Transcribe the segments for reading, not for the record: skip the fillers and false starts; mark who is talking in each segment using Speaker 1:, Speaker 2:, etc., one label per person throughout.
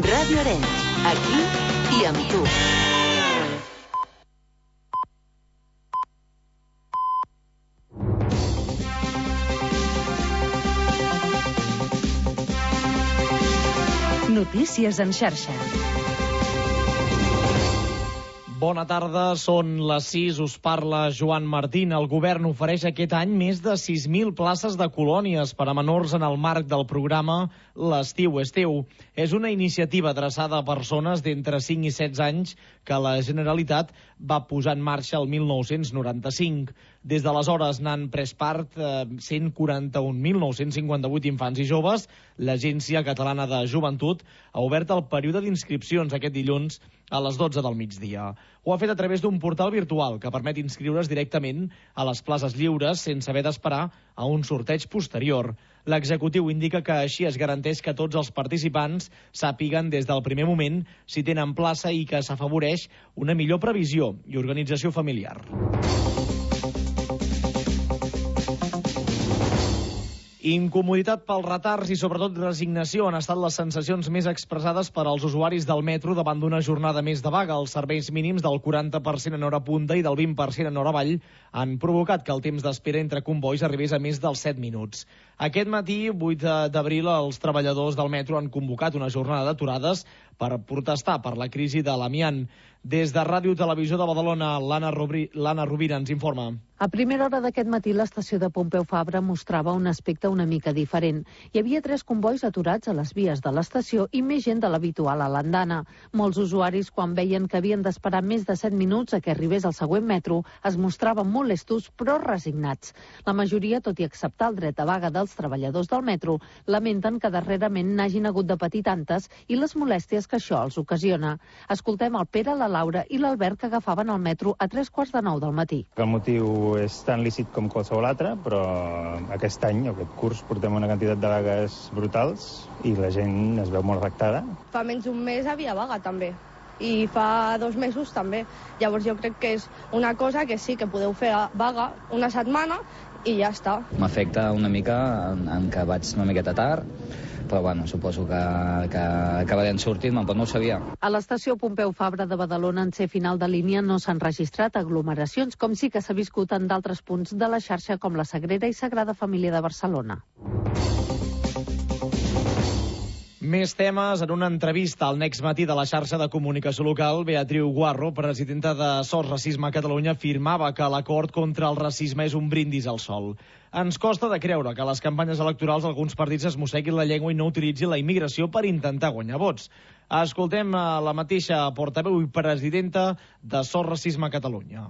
Speaker 1: Ràdio Arenys, aquí i amb tu. Notícies en xarxa.
Speaker 2: Bona tarda, són les 6, us parla Joan Martín. El govern ofereix aquest any més de 6.000 places de colònies per a menors en el marc del programa L'Estiu és teu. És una iniciativa adreçada a persones d'entre 5 i 16 anys que la Generalitat va posar en marxa el 1995. Des d'aleshores n'han pres part 141.958 infants i joves. L'Agència Catalana de Joventut ha obert el període d'inscripcions aquest dilluns a les 12 del migdia. Ho ha fet a través d'un portal virtual que permet inscriure's directament a les places lliures sense haver d'esperar a un sorteig posterior. L'executiu indica que així es garanteix que tots els participants sàpiguen des del primer moment si tenen plaça i que s'afavoreix una millor previsió i organització familiar. Incomoditat pels retards i sobretot resignació han estat les sensacions més expressades per als usuaris del metro davant d'una jornada més de vaga. Els serveis mínims del 40% en hora punta i del 20% en hora avall han provocat que el temps d'espera entre combois arribés a més dels 7 minuts. Aquest matí, 8 d'abril, els treballadors del metro han convocat una jornada d'aturades per protestar per la crisi de l'amiant. Des de Ràdio Televisió de Badalona, l'Anna Rovira ens informa.
Speaker 3: A primera hora d'aquest matí, l'estació de Pompeu Fabra mostrava un aspecte una mica diferent. Hi havia 3 combois aturats a les vies de l'estació i més gent de l'habitual a l'andana. Molts usuaris, quan veien que havien d'esperar més de 7 minuts a que arribés el següent metro, es mostraven molestos però resignats. La majoria, tot i acceptar el dret a vaga dels treballadors del metro, lamenten que darrerament n'hagin hagut de patir tantes i les molèsties que això els ocasiona. Escoltem el Pere, la Laura i l'Albert, que agafaven el metro a 3:45 del matí.
Speaker 4: El motiu és tan lícit com qualsevol altre, però aquest any, aquest curs, portem una quantitat de vagues brutals i la gent es veu molt afectada.
Speaker 5: Fa menys d'un mes havia vaga, també. I fa 2 mesos també. Llavors jo crec que és una cosa que sí que podeu fer vaga una setmana i ja està.
Speaker 6: M'afecta una mica en que vaig una miqueta tard, però bueno, suposo que acabaré sortint, però no ho sabia.
Speaker 3: A l'estació Pompeu Fabra de Badalona, en ser final de línia, no s'han registrat aglomeracions, com sí que s'ha viscut en d'altres punts de la xarxa com la Sagrera i Sagrada Família de Barcelona.
Speaker 2: Més temes. En una entrevista al Next Matí de la xarxa de comunicació local, Beatriu Guarro, presidenta de SOS Racisme a Catalunya, afirmava que l'acord contra el racisme és un brindis al sol. Ens costa de creure que a les campanyes electorals alguns partits es mosseguin la llengua i no utilitzin la immigració per intentar guanyar vots. Escoltem la mateixa portaveu i presidenta de SOS Racisme a Catalunya.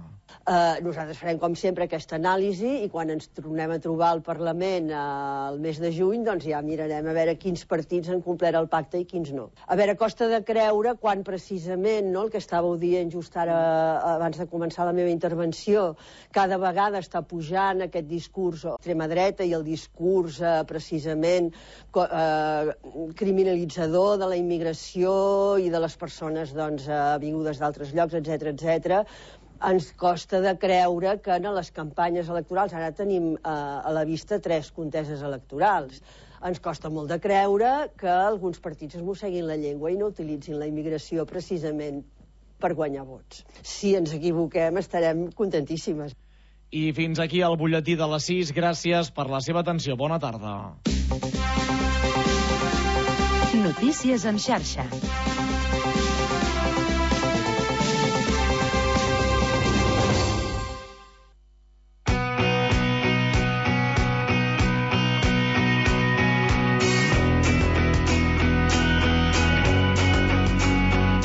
Speaker 7: Nosaltres farem, com sempre, aquesta anàlisi i quan ens tornem a trobar al Parlament el mes de juny, doncs ja mirarem a veure quins partits han complert el pacte i quins no. A veure, costa de creure quan precisament, no, el que estàveu dient just ara abans de començar la meva intervenció, cada vegada està pujant aquest discurs extrema dreta i el discurs precisament criminalitzador de la immigració i de les persones vingudes d'altres llocs, etc. Ens costa de creure que en les campanyes electorals, ara tenim a la vista 3 conteses electorals, ens costa molt de creure que alguns partits es mosseguin la llengua i no utilitzin la immigració precisament per guanyar vots. Si ens equivoquem, estarem contentíssimes.
Speaker 2: I fins aquí el butlletí de les 6. Gràcies per la seva atenció. Bona tarda.
Speaker 1: Notícies en xarxa.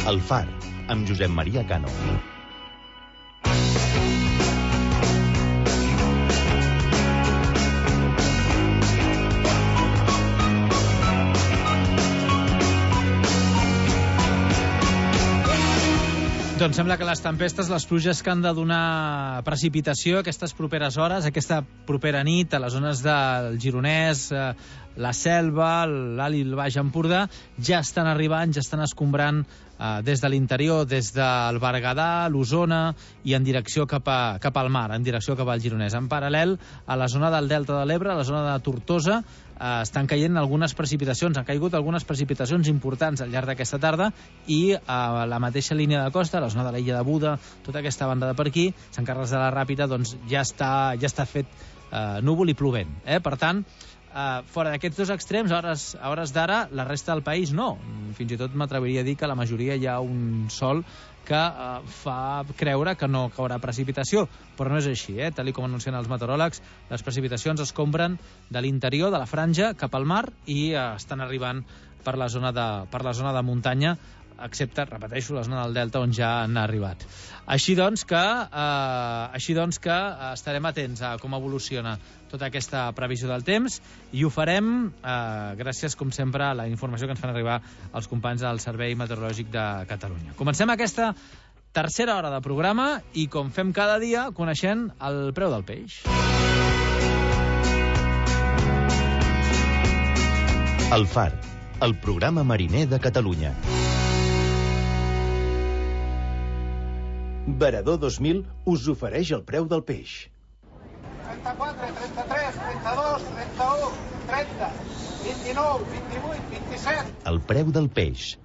Speaker 8: El Far, amb Josep Maria Cano.
Speaker 9: Doncs sembla que les tempestes, les pluges que han de donar precipitació aquestes properes hores, aquesta propera nit, a les zones del Gironès, la Selva, l'Alt i el Baix Empordà, ja estan arribant, ja estan escombrant des de l'interior, des del Berguedà, l'Osona i en direcció cap al mar, en direcció cap al Gironès. En paral·lel, a la zona del Delta de l'Ebre, a la zona de Tortosa, estan caient algunes precipitacions, han caigut algunes precipitacions importants al llarg d'aquesta tarda i a la mateixa línia de costa, a la zona de l'illa de Buda, tota aquesta banda de per aquí, Sant Carles de la Ràpita, doncs ja està fet núvol i plovent. Per tant, fora d'aquests dos extrems, a hores d'ara, la resta del país no. Fins i tot m'atreviria a dir que a la majoria hi ha un sol que fa creure que no caurà precipitació, però no és així, tal com anuncien els meteoròlegs. Les precipitacions es compren de l'interior, de la franja, cap al mar i estan arribant per la zona de muntanya, excepte, repeteixo, la zona del delta on ja han arribat. Així doncs que estarem atents a com evoluciona tota aquesta previsió del temps i ho farem gràcies, com sempre, a la informació que ens fan arribar els companys del Servei Meteorològic de Catalunya. Comencem aquesta tercera hora de programa i, com fem cada dia, coneixent el preu del peix.
Speaker 8: El Far, el programa mariner de Catalunya.
Speaker 10: Varador 2000 us ofereix el preu del peix.
Speaker 11: 34, 33, 32, 31, 30, 29, 28, 27...
Speaker 8: El preu del peix.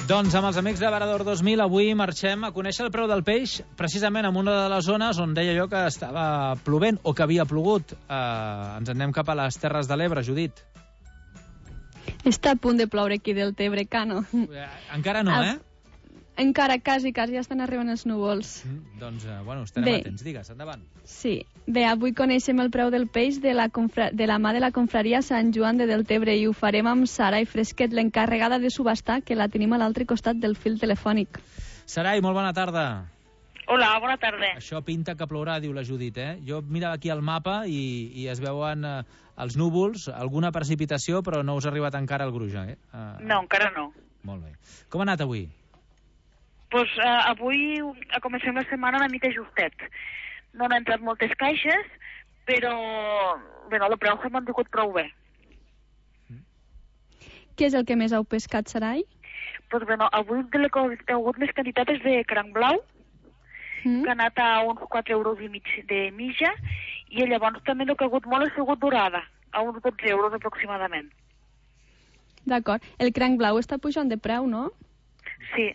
Speaker 9: Doncs amb els amics de Varador 2000 avui marxem a conèixer el preu del peix precisament en una de les zones on deia jo que estava plovent o que havia plogut. Ens anem cap a les Terres de l'Ebre, Judit.
Speaker 12: Està a punt de ploure aquí del Tebre, Cano.
Speaker 9: Encara no,
Speaker 12: Encara, quasi, ja estan arribant els núvols.
Speaker 9: Doncs, estarem atents. Digues, endavant.
Speaker 12: Sí. Bé, avui coneixem el preu del peix de la mà de la confraria Sant Joan de Deltebre i ho farem amb Sarai Fresquet, l'encarregada de subhastar, que la tenim a l'altre costat del fil telefònic.
Speaker 9: Sarai, molt bona tarda.
Speaker 13: Hola, bona tarda.
Speaker 9: Això pinta que plourà, diu la Judit, Jo mirava aquí el mapa i es veuen els núvols, alguna precipitació, però no us ha arribat encara el gruix,
Speaker 13: No, encara no.
Speaker 9: Molt bé. Com ha anat avui?
Speaker 13: Pues avui comencem la setmana una mica justet. No han entrat moltes caixes, però el preu s'ha mantingut prou bé.
Speaker 12: Què és el que més heu pescat, Sarai?
Speaker 13: Pues avui he hagut més quantitats de cranc blau, que ha anat a uns 4,5 euros de mitja, i llavors també el que ha hagut molt ha sigut dorada, a uns 12 euros aproximadament.
Speaker 12: D'acord. El cranc blau està pujant de preu, no?
Speaker 13: Sí,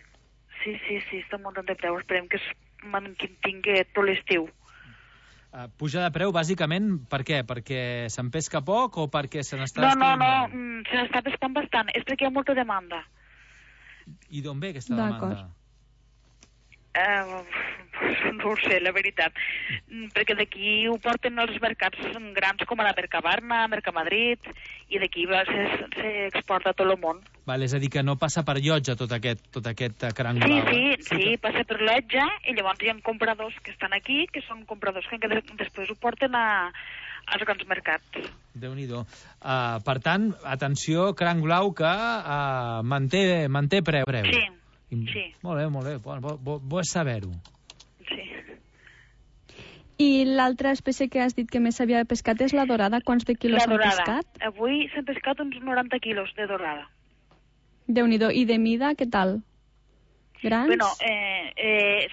Speaker 13: està muntant de preu. Esperem que es mantingui tot l'estiu.
Speaker 9: Puja de preu, bàsicament, per què? Perquè se'n pesca poc o perquè se n'està...
Speaker 13: No, se n'està pescant bastant. És perquè hi ha molta demanda.
Speaker 9: I d'on ve aquesta demanda?
Speaker 13: No ho sé, la veritat. Perquè d'aquí ho porten els mercats grans com a la Mercabarna, Mercamadrid, i d'aquí s'exporta a tot el món.
Speaker 9: Val, és a dir, que no passa per llotja tot aquest cranc blau.
Speaker 13: Sí, passa per llotja, i llavors hi ha compradors que estan aquí, que són compradors que després ho porten als grans mercats.
Speaker 9: Déu-n'hi-do. Per tant, atenció, cranc blau que manté preu.
Speaker 13: Sí.
Speaker 9: Molt bé. Bo és saber-ho.
Speaker 13: Sí.
Speaker 12: I l'altra espècie que has dit que més s'havia pescat és la dorada. Quants de quilos s'han pescat?
Speaker 13: Avui s'han pescat uns 90 quilos de dorada.
Speaker 12: Déu-n'hi-do. I de mida, què tal? Grans?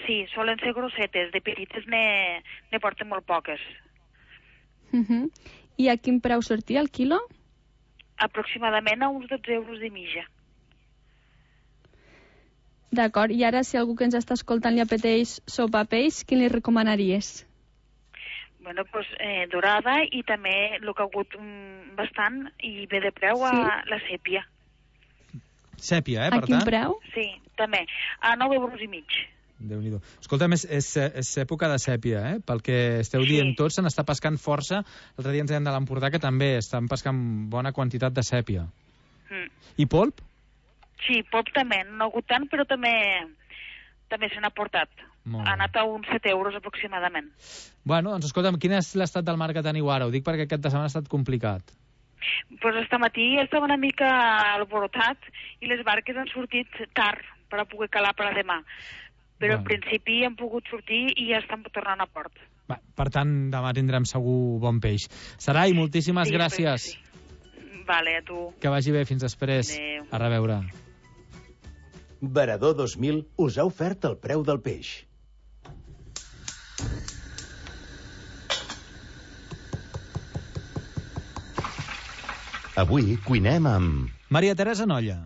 Speaker 13: Sí, solen ser grossetes. De petites ne porten molt poques.
Speaker 12: I a quin preu sortia el quilo?
Speaker 13: Aproximadament a uns 12 euros de mitja.
Speaker 12: D'acord, i ara si algú que ens està escoltant li apeteix sopa peix, quin li recomanaries?
Speaker 13: Dorada, i també el que ha hagut bastant i bé de preu la sèpia.
Speaker 9: Sèpia, per tant?
Speaker 12: A quin preu?
Speaker 13: Sí, també, a 9,5 euros.
Speaker 9: Déu-n'hi-do. Escolta'm, és època de sèpia, Pel que esteu dient tots, se n'està pescant força. L'altre dia ens deien de l'Empordà que també estan pescant bona quantitat de sèpia. I polp?
Speaker 13: Sí, polp també, no ha hagut tant, però també se n'ha portat. Ha anat a uns 7 euros aproximadament.
Speaker 9: Bueno, doncs escolta'm, quin és l'estat del mar que teniu ara? Ho dic perquè aquest de setmana ha estat complicat.
Speaker 13: Pues este matí estava una mica alborotat i les barques han sortit tard per a poder calar per a demà. Però en principi han pogut sortir i ja estan tornant a port.
Speaker 9: Per tant, demà tindrem segur bon peix. Sarai, moltíssimes gràcies.
Speaker 13: Vale, a tu.
Speaker 9: Que vagi bé, fins després.
Speaker 13: Adéu.
Speaker 9: A reveure.
Speaker 10: Varador 2000 us ha ofert el preu del peix.
Speaker 8: Avui cuinem amb...
Speaker 9: Maria Teresa Nolla.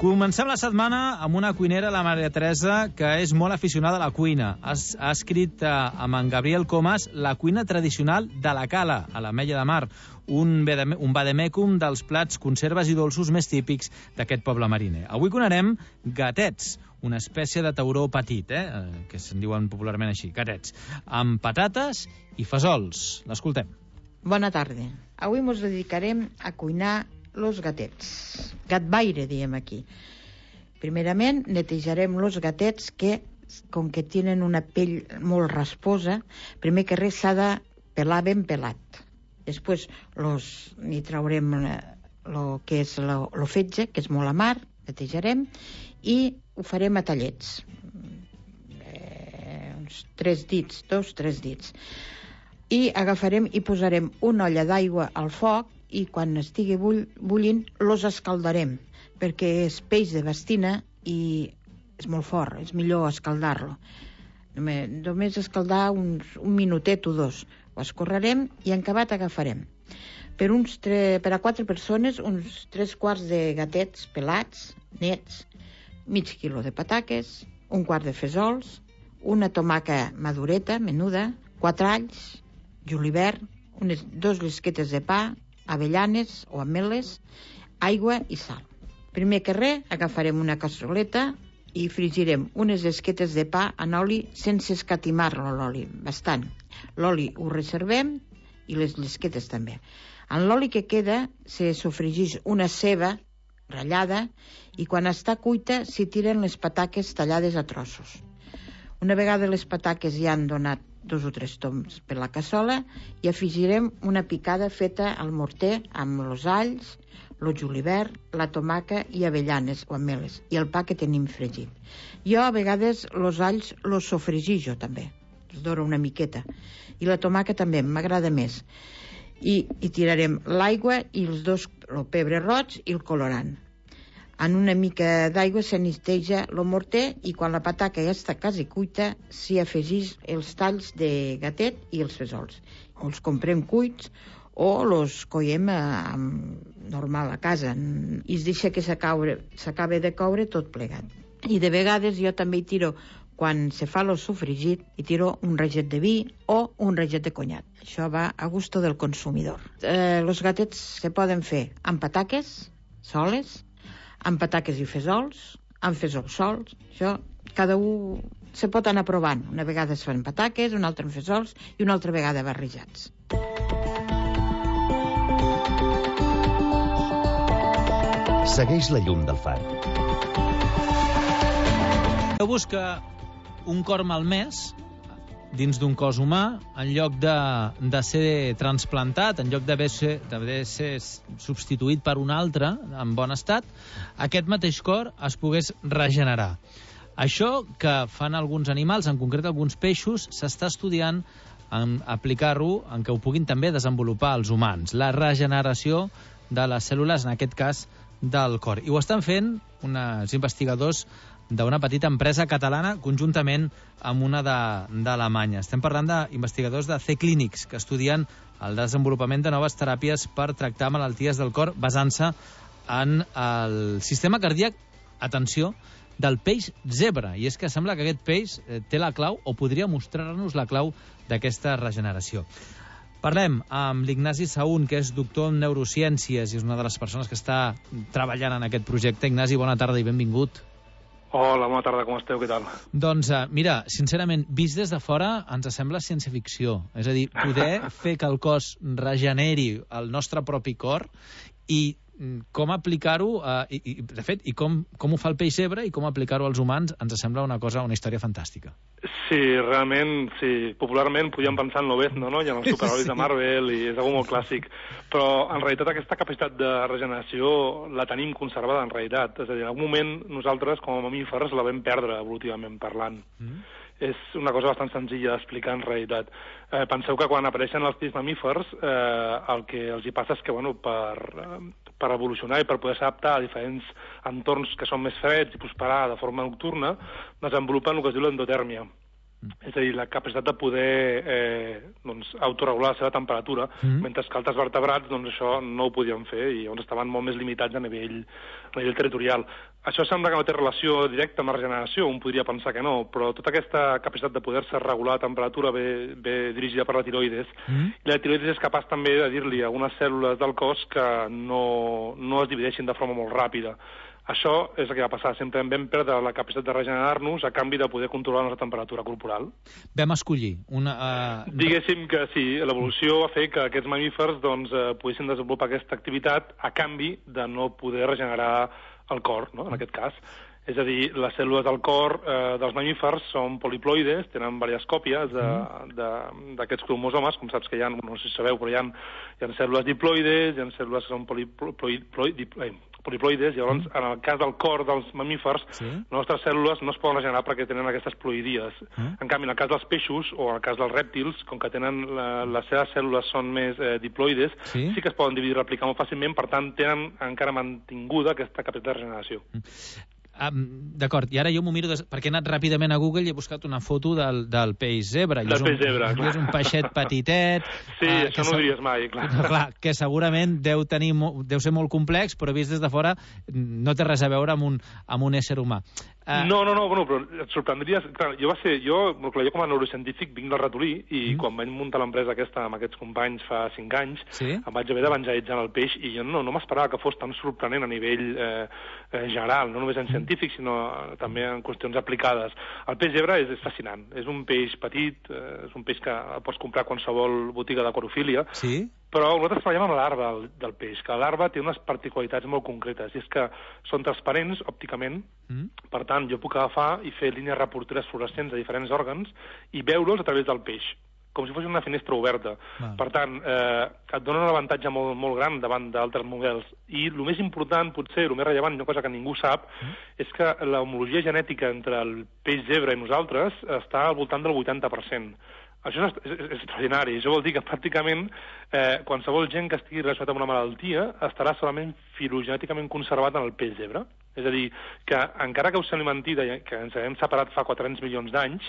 Speaker 9: Comencem la setmana amb una cuinera, la Maria Teresa, que és molt aficionada a la cuina. Ha escrit amb en Gabriel Comas La cuina tradicional de la Cala, a l'Ametlla de Mar, un vademecum dels plats, conserves i dolços més típics d'aquest poble mariner. Avui cuinarem gatets, una espècie de tauró petit, que se'n diuen popularment així, gatets, amb patates i fesols. L'escoltem.
Speaker 14: Bona tarda. Avui ens dedicarem a cuinar los gatets. Gatbaire, diem aquí. Primerament, netejarem los gatets que, com que tenen una pell molt rasposa, primer que res s'ha de pelar ben pelat. Després n'hi traurem lo que és lo fetge, que és molt amar, netejarem, i ho farem a tallets. Uns 3 dits, 2-3 dits. I agafarem i posarem una olla d'aigua al foc i quan estigui bullint los escaldarem, perquè és peix de bastina i és molt fort, és millor escaldar-lo. Només escaldar un minutet o 2. Ho escorrerem i en acabat agafarem. Per a 4 persones, uns 3 quarts de gatets pelats, nets, mig quilo de pataques, un quart de fesols, una tomaca madureta, menuda, 4 alls, julivert, 2 llisquetes de pa, avellanes o ametlles, aigua i sal. Primer que res, agafarem una cassoleta i frigirem unes esquetes de pa en oli sense escatimar-lo l'oli, bastant. L'oli ho reservem i les llisquetes també. En l'oli que queda se sofregeix una ceba ratllada i quan està cuita s'hi tiren les pataques tallades a trossos. Una vegada les pataques ja han donat 2 o 3 toms per la cassola i afegirem una picada feta al morter amb els alls, el julivert, la tomaca i avellanes o ametlles i el pa que tenim fregit. Jo a vegades els alls els sofregijo també, els doro una miqueta, i la tomaca també m'agrada més. I tirarem l'aigua i el pebre roig i el colorant. En una mica d'aigua s'anisteja el morter i quan la pataca ja està quasi cuita s'hi afegeix els talls de gatet i els fesols. Els comprem cuits o els coiem normal a casa i es deixa que s'acabe de coure tot plegat. I de vegades jo també hi tiro, quan se fa el sofregit, hi tiro un raget de vi o un raget de conyat. Això va a gusto del consumidor. Els gatets se poden fer amb pataques soles, amb pataques i fesols, amb fesols sols. Això, cada un se pot anar provant. Una vegada es fan pataques, una altra amb fesols i una altra vegada barrejats.
Speaker 8: Segueix la llum del far.
Speaker 9: Busca un cor malmès dins d'un cos humà, en lloc de ser transplantat, en lloc d'haver ser substituït per un altre en bon estat, aquest mateix cor es pogués regenerar. Això que fan alguns animals, en concret alguns peixos, s'està estudiant en aplicar-ho en què ho puguin també desenvolupar els humans. La regeneració de les cèl·lules, en aquest cas, del cor. I ho estan fent uns investigadors d'una petita empresa catalana conjuntament amb una d'Alemanya. Estem parlant d'investigadors de C-Clínics que estudien el desenvolupament de noves teràpies per tractar malalties del cor basant-se en el sistema cardíac, atenció, del peix zebra. I és que sembla que aquest peix té la clau o podria mostrar-nos la clau d'aquesta regeneració. Parlem amb l'Ignasi Saún, que és doctor en neurociències i és una de les persones que està treballant en aquest projecte. Ignasi, bona tarda i benvingut.
Speaker 15: Hola, bona tarda, com esteu? Què tal?
Speaker 9: Doncs, mira, sincerament, vist des de fora ens sembla ciència-ficció. És a dir, poder fer que el cos regeneri el nostre propi cor I com aplicar-ho, de fet, i com ho fa el peix zebra i com aplicar-ho als humans, ens sembla una història fantàstica.
Speaker 15: Sí, realment, sí. Popularment podíem pensar en l'Obezno, no? I en els superherois de Marvel, i és algo molt clàssic. Però, en realitat, aquesta capacitat de regeneració la tenim conservada, en realitat. És a dir, en algun moment, nosaltres, com a mamífers, la vam perdre, evolutivament parlant. És una cosa bastant senzilla d'explicar, en realitat. Penseu que quan apareixen els petits mamífers, el que els hi passa és que, bueno, per evolucionar i per poder s'adaptar a diferents entorns que són més freds i prosperar de forma nocturna, desenvolupen el que es diu l'endotèrmia. És a dir, la capacitat de poder autoregular la seva temperatura, mentre que altres vertebrats això no ho podien fer i estaven molt més limitats a nivell territorial. Això sembla que no té relació directa amb la regeneració, un podria pensar que no, però tota aquesta capacitat de poder-se regular la temperatura ve dirigida per la tiroides, i la tiroides és capaç també de dir-li a algunes cèl·lules del cos que no es divideixin de forma molt ràpida. Això és el que va passar. Sempre vam perdre la capacitat de regenerar-nos a canvi de poder controlar la nostra temperatura corporal.
Speaker 9: Vam escollir
Speaker 15: Diguéssim que sí, l'evolució va fer que aquests mamífers poguessin desenvolupar aquesta activitat a canvi de no poder regenerar el cor, no? En aquest cas. És a dir, les cèl·lules del cor dels mamífers són poliploides, tenen diverses còpies d'aquests cromosomes, com saps que hi ha, no sé si sabeu, però hi ha cèl·lules diploides, hi ha cèl·lules que són poliploides, i llavors, en el cas del cor dels mamífers, les nostres cèl·lules no es poden regenerar perquè tenen aquestes ploidies. En canvi, en el cas dels peixos, o en el cas dels rèptils, com que tenen les seves cèl·lules són més diploides, sí que es poden dividir i replicar molt fàcilment, per tant, tenen encara mantinguda aquesta capacitat de regeneració.
Speaker 9: D'acord, i ara jo m'ho miro perquè he anat ràpidament a Google i he buscat una foto del peix zebra.
Speaker 15: Del peix zebra, clar.
Speaker 9: És un peixet petitet.
Speaker 15: Sí, això no ho diries mai, clar.
Speaker 9: Clar, que segurament deu ser molt complex, però vist des de fora no té res a veure amb un ésser humà.
Speaker 15: No, bueno, però et sorprendries... Clar, jo com a neurocientífic vinc del ratolí i quan vaig muntar l'empresa aquesta amb aquests companys fa 5 anys, em vaig haver d'evangelitzar el peix i jo no m'esperava que fos tan sorprenent a nivell general, no només en científic, sinó també en qüestions aplicades. El peix zebra és fascinant. És un peix petit, és un peix que pots comprar a qualsevol botiga d'aquariofília, però nosaltres treballem amb la larva del peix, que la larva té unes particularitats molt concretes, i és que són transparents òpticament, per tant, jo puc agafar i fer línies reporteres fluorescents de diferents òrgans i veure'ls a través del peix, com si fos una finestra oberta. Per tant, et dona un avantatge molt, molt gran davant d'altres models. I el més important, potser, el més rellevant, una cosa que ningú sap, és que l'homologia genètica entre el peix zebra i nosaltres està al voltant del 80%. Això és extraordinari. Això vol dir que pràcticament qualsevol gent que estigui relacionat amb una malaltia estarà solament filogenèticament conservat en el peix zebra. És a dir, que encara que us sembli mentida, que ens hem separat fa 400 milions d'anys,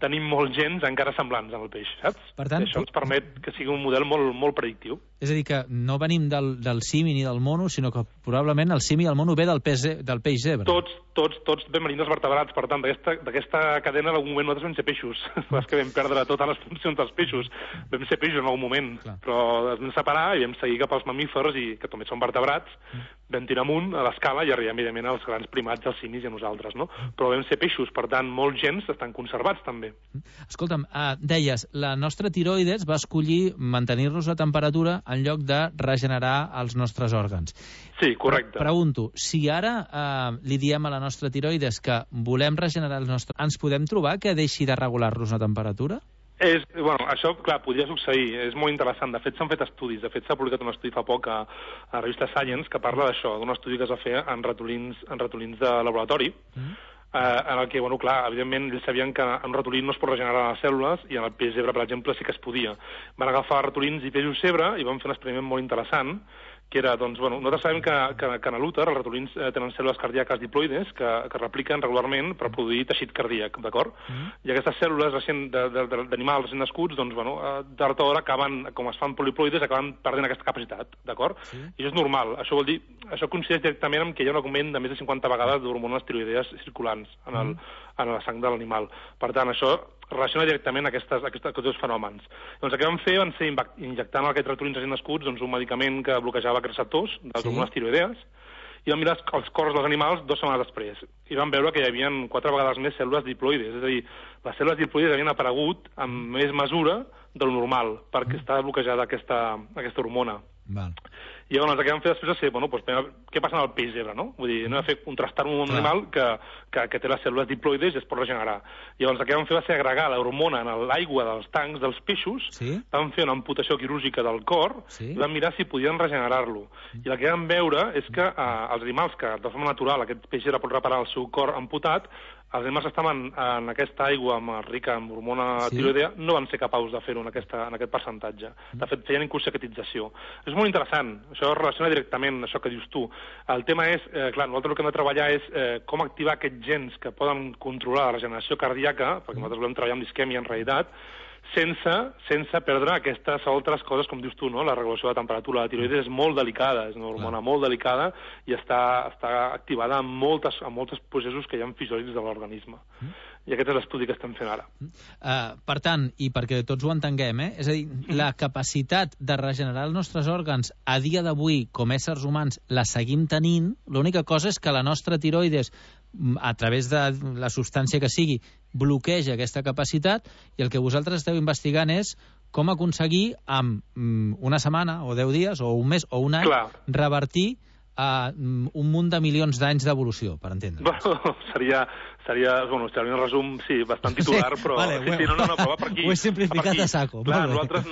Speaker 15: tenim molts gens encara semblants en el peix, saps?
Speaker 9: Per tant,
Speaker 15: això ens permet que sigui un model molt, molt predictiu.
Speaker 9: És a dir, que no venim del simi ni del mono, sinó que probablement el simi i el mono ve del peix zebra.
Speaker 15: Tots vam venir dels vertebrats, per tant, d'aquesta cadena en algun moment nosaltres vam ser peixos. És que vam perdre totes les funcions dels peixos. Vam ser peixos en algun moment, però ens vam separar i vam seguir cap als mamífers, i que també són vertebrats, vam tirar amunt a l'escala i arribem, evidentment, als grans primats, als simis i a nosaltres, no? Però vam ser peixos, per tant, molts gens estan conservats, també.
Speaker 9: Escolta'm, deies, la nostra tiroides va escollir mantenir-nos la temperatura en lloc de regenerar els nostres òrgans.
Speaker 15: Sí, correcte.
Speaker 9: Pregunto, si ara li diem a la nostra tiroides que volem regenerar els nostres... Ens podem trobar que deixi de regular-nos la temperatura?
Speaker 15: Això, clar, podria succeir. És molt interessant. De fet, s'han fet estudis. De fet, s'ha publicat un estudi fa poc a la revista Science que parla d'això, d'un estudi que es va fer en ratolins de laboratori, en el que, clar, evidentment, ells sabien que en un ratolí no es pot regenerar les cèl·lules i en el peix zebra, per exemple, sí que es podia. Van agafar ratolins i peixos zebra i van fer un experiment molt interessant, que era, nosaltres sabem que en l'úter els ratolins tenen cèl·lules cardíaques diploides que repliquen regularment per produir teixit cardíac, d'acord? I aquestes cèl·lules d'animals recent nascuts, d'hora a hora acaben, com es fan poliploides, acaben perdent aquesta capacitat, d'acord? I això és normal. Això vol dir, això coincideix directament amb que hi ha un augment de més de 50 vegades d'hormones tiroidees circulants en la sang de l'animal. Per tant, això relaciona directament aquests dos fenòmens. Doncs el que van fer van ser injectant aquests ratolins recent nascuts un medicament que bloquejava aquests receptors de les hormones tiroidees i van mirar els cors dels animals 2 setmanes després i van veure que hi havia 4 vegades més cèl·lules diploides, és a dir, les cèl·lules diploides havien aparegut amb més mesura del normal perquè estava bloquejada aquesta hormona. I llavors el que vam fer després va ser, bueno, què passa amb el peix zebra, no? Vull dir, no vam fer contrastar un animal que té les cèl·lules diploides i es pot regenerar. Llavors el que vam fer va ser agregar l'hormona en l'aigua dels tancs dels peixos, vam fer una amputació quirúrgica del cor i vam mirar si podien regenerar-lo. I el que vam veure és que els animals que de forma natural aquest peix zebra pot reparar el seu cor amputat, els animals que estaven en aquesta aigua rica en hormona tiroidea no van ser capaços de fer-ho en aquest percentatge. De fet, feien inconsecretització. És molt interessant. Això es relaciona directament amb això que dius tu. El tema és, clar, nosaltres el que hem de treballar és com activar aquests gens que poden controlar la regeneració cardíaca, perquè nosaltres volem treballar amb l'isquèmia en realitat, sense perdre aquestes altres coses, com dius tu, no? La regulació de temperatura. La tiroides és molt delicada, és una hormona molt delicada i està activada en molts processos que hi ha fisiològics de l'organisme. I aquest és l'estudi que estem fent ara.
Speaker 9: Per tant, i perquè tots ho entenguem, és a dir, la capacitat de regenerar els nostres òrgans a dia d'avui, com éssers humans, la seguim tenint. L'única cosa és que la nostra tiroides, a través de la substància que sigui, bloqueja aquesta capacitat, i el que vosaltres esteu investigant és com aconseguir en una setmana, o 10 dies, o un mes, o un any, revertir un munt de milions d'anys d'evolució, per entendre.
Speaker 15: Bueno, seria un resum, sí, bastant titular, però... però va per aquí.
Speaker 9: Ho he simplificat a saco.
Speaker 15: Clar, nosaltres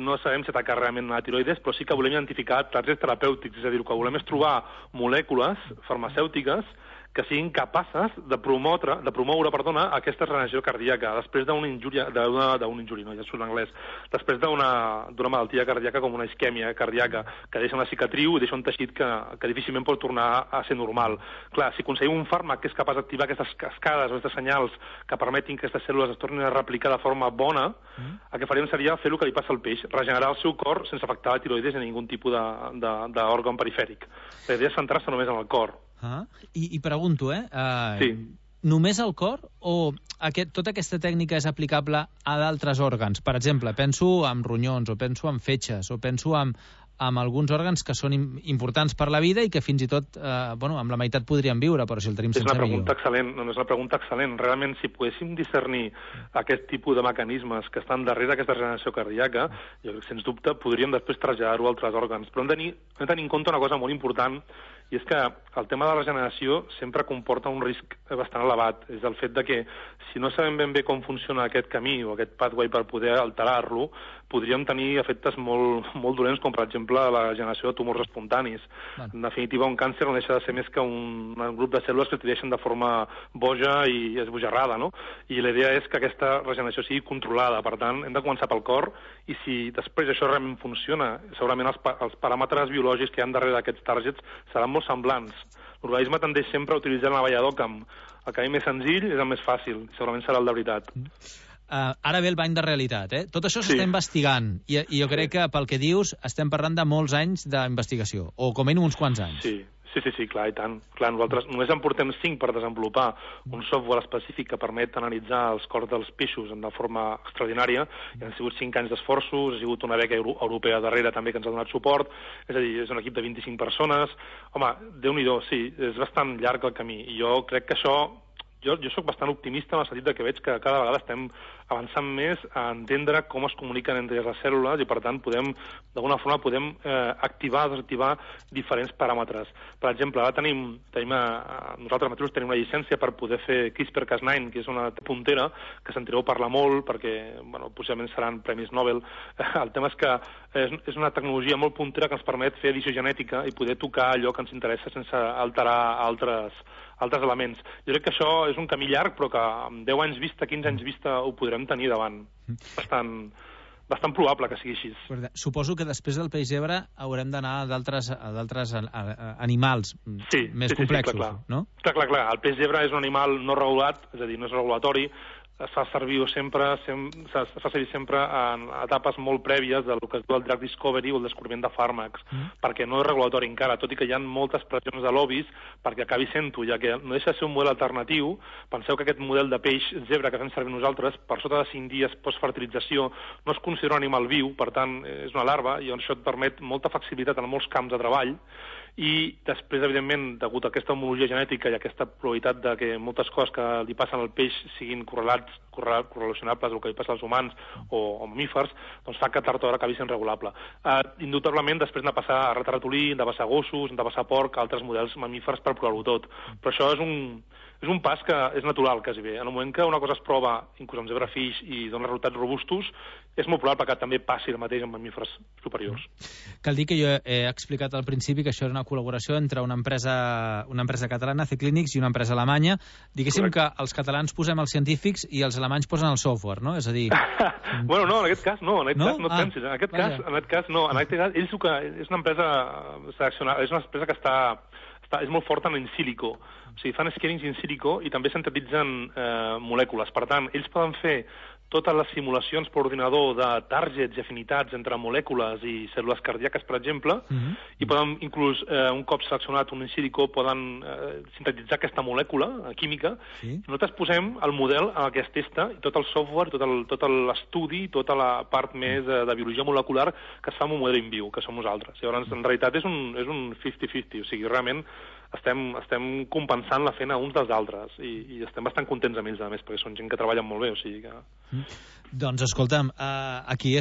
Speaker 15: no sabem si atacar realment la tiroides, però sí que volem identificar targets terapèutics, és a dir, el que volem és trobar molècules farmacèutiques que siguin capaces de promoure aquesta regeneració cardíaca després d'una injúria, no, ja surt en anglès, després d'una malaltia cardíaca com una isquèmia cardíaca, que deixa una cicatriu i deixa un teixit que difícilment pot tornar a ser normal. Clar, si aconseguim un fàrmac que és capaç d'activar aquestes cascades o aquests senyals que permetin que aquestes cèl·lules es tornin a replicar de forma bona, el que faríem seria fer el que li passa al peix, regenerar el seu cor sense afectar la tiroides ni ningun tipus d'òrgan perifèric. La idea és centrar-se només en el cor.
Speaker 9: I pregunto, només al cor o tota aquesta tècnica és aplicable a d'altres òrgans? Per exemple, penso en ronyons, o penso en fetges, o penso en alguns òrgans que són importants per la vida i que fins i tot, amb la meitat podrien viure, però si el tenim sense
Speaker 15: millor. És una pregunta excel·lent. Realment, si poguéssim discernir aquest tipus de mecanismes que estan darrere d'aquesta regeneració cardíaca, jo crec que, sens dubte, podríem després traslladar-ho a altres òrgans. Però hem de tenir en compte una cosa molt important, i és que el tema de la regeneració sempre comporta un risc bastant elevat. És el fet de que si no sabem ben bé com funciona aquest camí o aquest pathway per poder alterar-lo, podríem tenir efectes molt dolents, com per exemple la generació de tumors espontanis. En definitiva, un càncer no deixa de ser més que un grup de cèl·lules que es divideixen de forma boja i esbojarrada, no? I la idea és que aquesta regeneració sigui controlada. Per tant, hem de començar pel cor, i si després això realment funciona, segurament els paràmetres biològics que hi ha darrere d'aquests targets seran molt semblants. L'organisme tendeix sempre a utilitzar el navegador el camí més senzill és el més fàcil, segurament serà el de veritat.
Speaker 9: Ara ve el bany de realitat, Tot això s'està investigant, i jo crec que pel que dius estem parlant de molts anys d'investigació, o com a mínim uns quants anys.
Speaker 15: Sí, clar, i tant. Clar, nosaltres només en portem 5 per desenvolupar un software específic que permet analitzar els cors dels peixos de forma extraordinària, i han sigut 5 anys d'esforços, ha sigut una beca europea darrere també que ens ha donat suport, és a dir, és un equip de 25 persones. Home, Déu-n'hi-do, sí, és bastant llarg el camí, i jo crec que això... Jo soc bastant optimista en el sentit que veig que cada vegada estem avançant més a entendre com es comuniquen entre les cèl·lules, i per tant d'alguna forma podem activar o desactivar diferents paràmetres. Per exemple, ara nosaltres mateixos tenim una llicència per poder fer CRISPR-Cas9, que és una puntera que sentireu parlar molt perquè possiblement seran premis Nobel. El tema és que és una tecnologia molt puntera que ens permet fer edició genètica i poder tocar allò que ens interessa sense alterar altres elements. Jo crec que això és un camí llarg, però que amb 10 anys vista, 15 anys vista, ho podrem tenir davant. Bastant probable que sigui així.
Speaker 9: Suposo que després del peix zebra haurem d'anar a d'altres animals més complexos, no?
Speaker 15: Clar. El peix zebra és un animal no regulat, és a dir, no és regulatori, es fa servir sempre en etapes molt prèvies del que es diu el drug discovery o el descobriment de fàrmacs, perquè no és regulatori encara, tot i que hi ha moltes pressions de lobbies perquè acabi sent-ho, ja que no deixa de ser un model alternatiu. Penseu que aquest model de peix zebra que fem servir nosaltres, per sota de 5 dies postfertilització, no es considera un animal viu, per tant, és una larva, i això et permet molta flexibilitat en molts camps de treball. I després, evidentment, degut a aquesta homologia genètica i aquesta probabilitat de que moltes coses que li passen al peix siguin correlats correlacionables al que li passa als humans o mamífers, doncs fa que tard o d'hora acabi sent regulable. Indubtablement, després hem de passar a ratolí, hem de passar a gossos, hem de passar a porc, altres models mamífers per provar-ho tot. Però això és un pas que és natural, quasi bé. En el moment que una cosa es prova, inclús amb zebrafish, i dona resultats robustos, és molt probable que també passi el mateix amb mamífers superiors.
Speaker 9: Cal dir que jo he explicat al principi que això era una col·laboració entre una empresa catalana, C-Clinics, i una empresa alemanya. Diguéssim que els catalans posem els científics i els alemanys posen el software, no? És a dir...
Speaker 15: Bueno, no, en aquest cas no, en et pensis. En aquest cas no. En aquest cas, ells és una empresa seleccionada, és una empresa que és molt forta en sílico. O sigui, fan scannings in silico i també sintetitzen molècules. Per tant, ells poden fer totes les simulacions per ordinador de targets i afinitats entre molècules i cèl·lules cardíaques, per exemple, i poden, inclús, un cop seleccionat un in silico, poden sintetitzar aquesta molècula química. Nosaltres posem el model en el que es testa, i tot el software, tot l'estudi, tota la part més de biologia molecular que es fa amb un model in viu, que som nosaltres. Llavors, en realitat, és un 50-50, o sigui, realment estem compensant la feina uns dels altres i estem bastant contents amb ells, a més, perquè són gent que treballen molt bé, o sigui que...
Speaker 9: Doncs escolta'm, aquí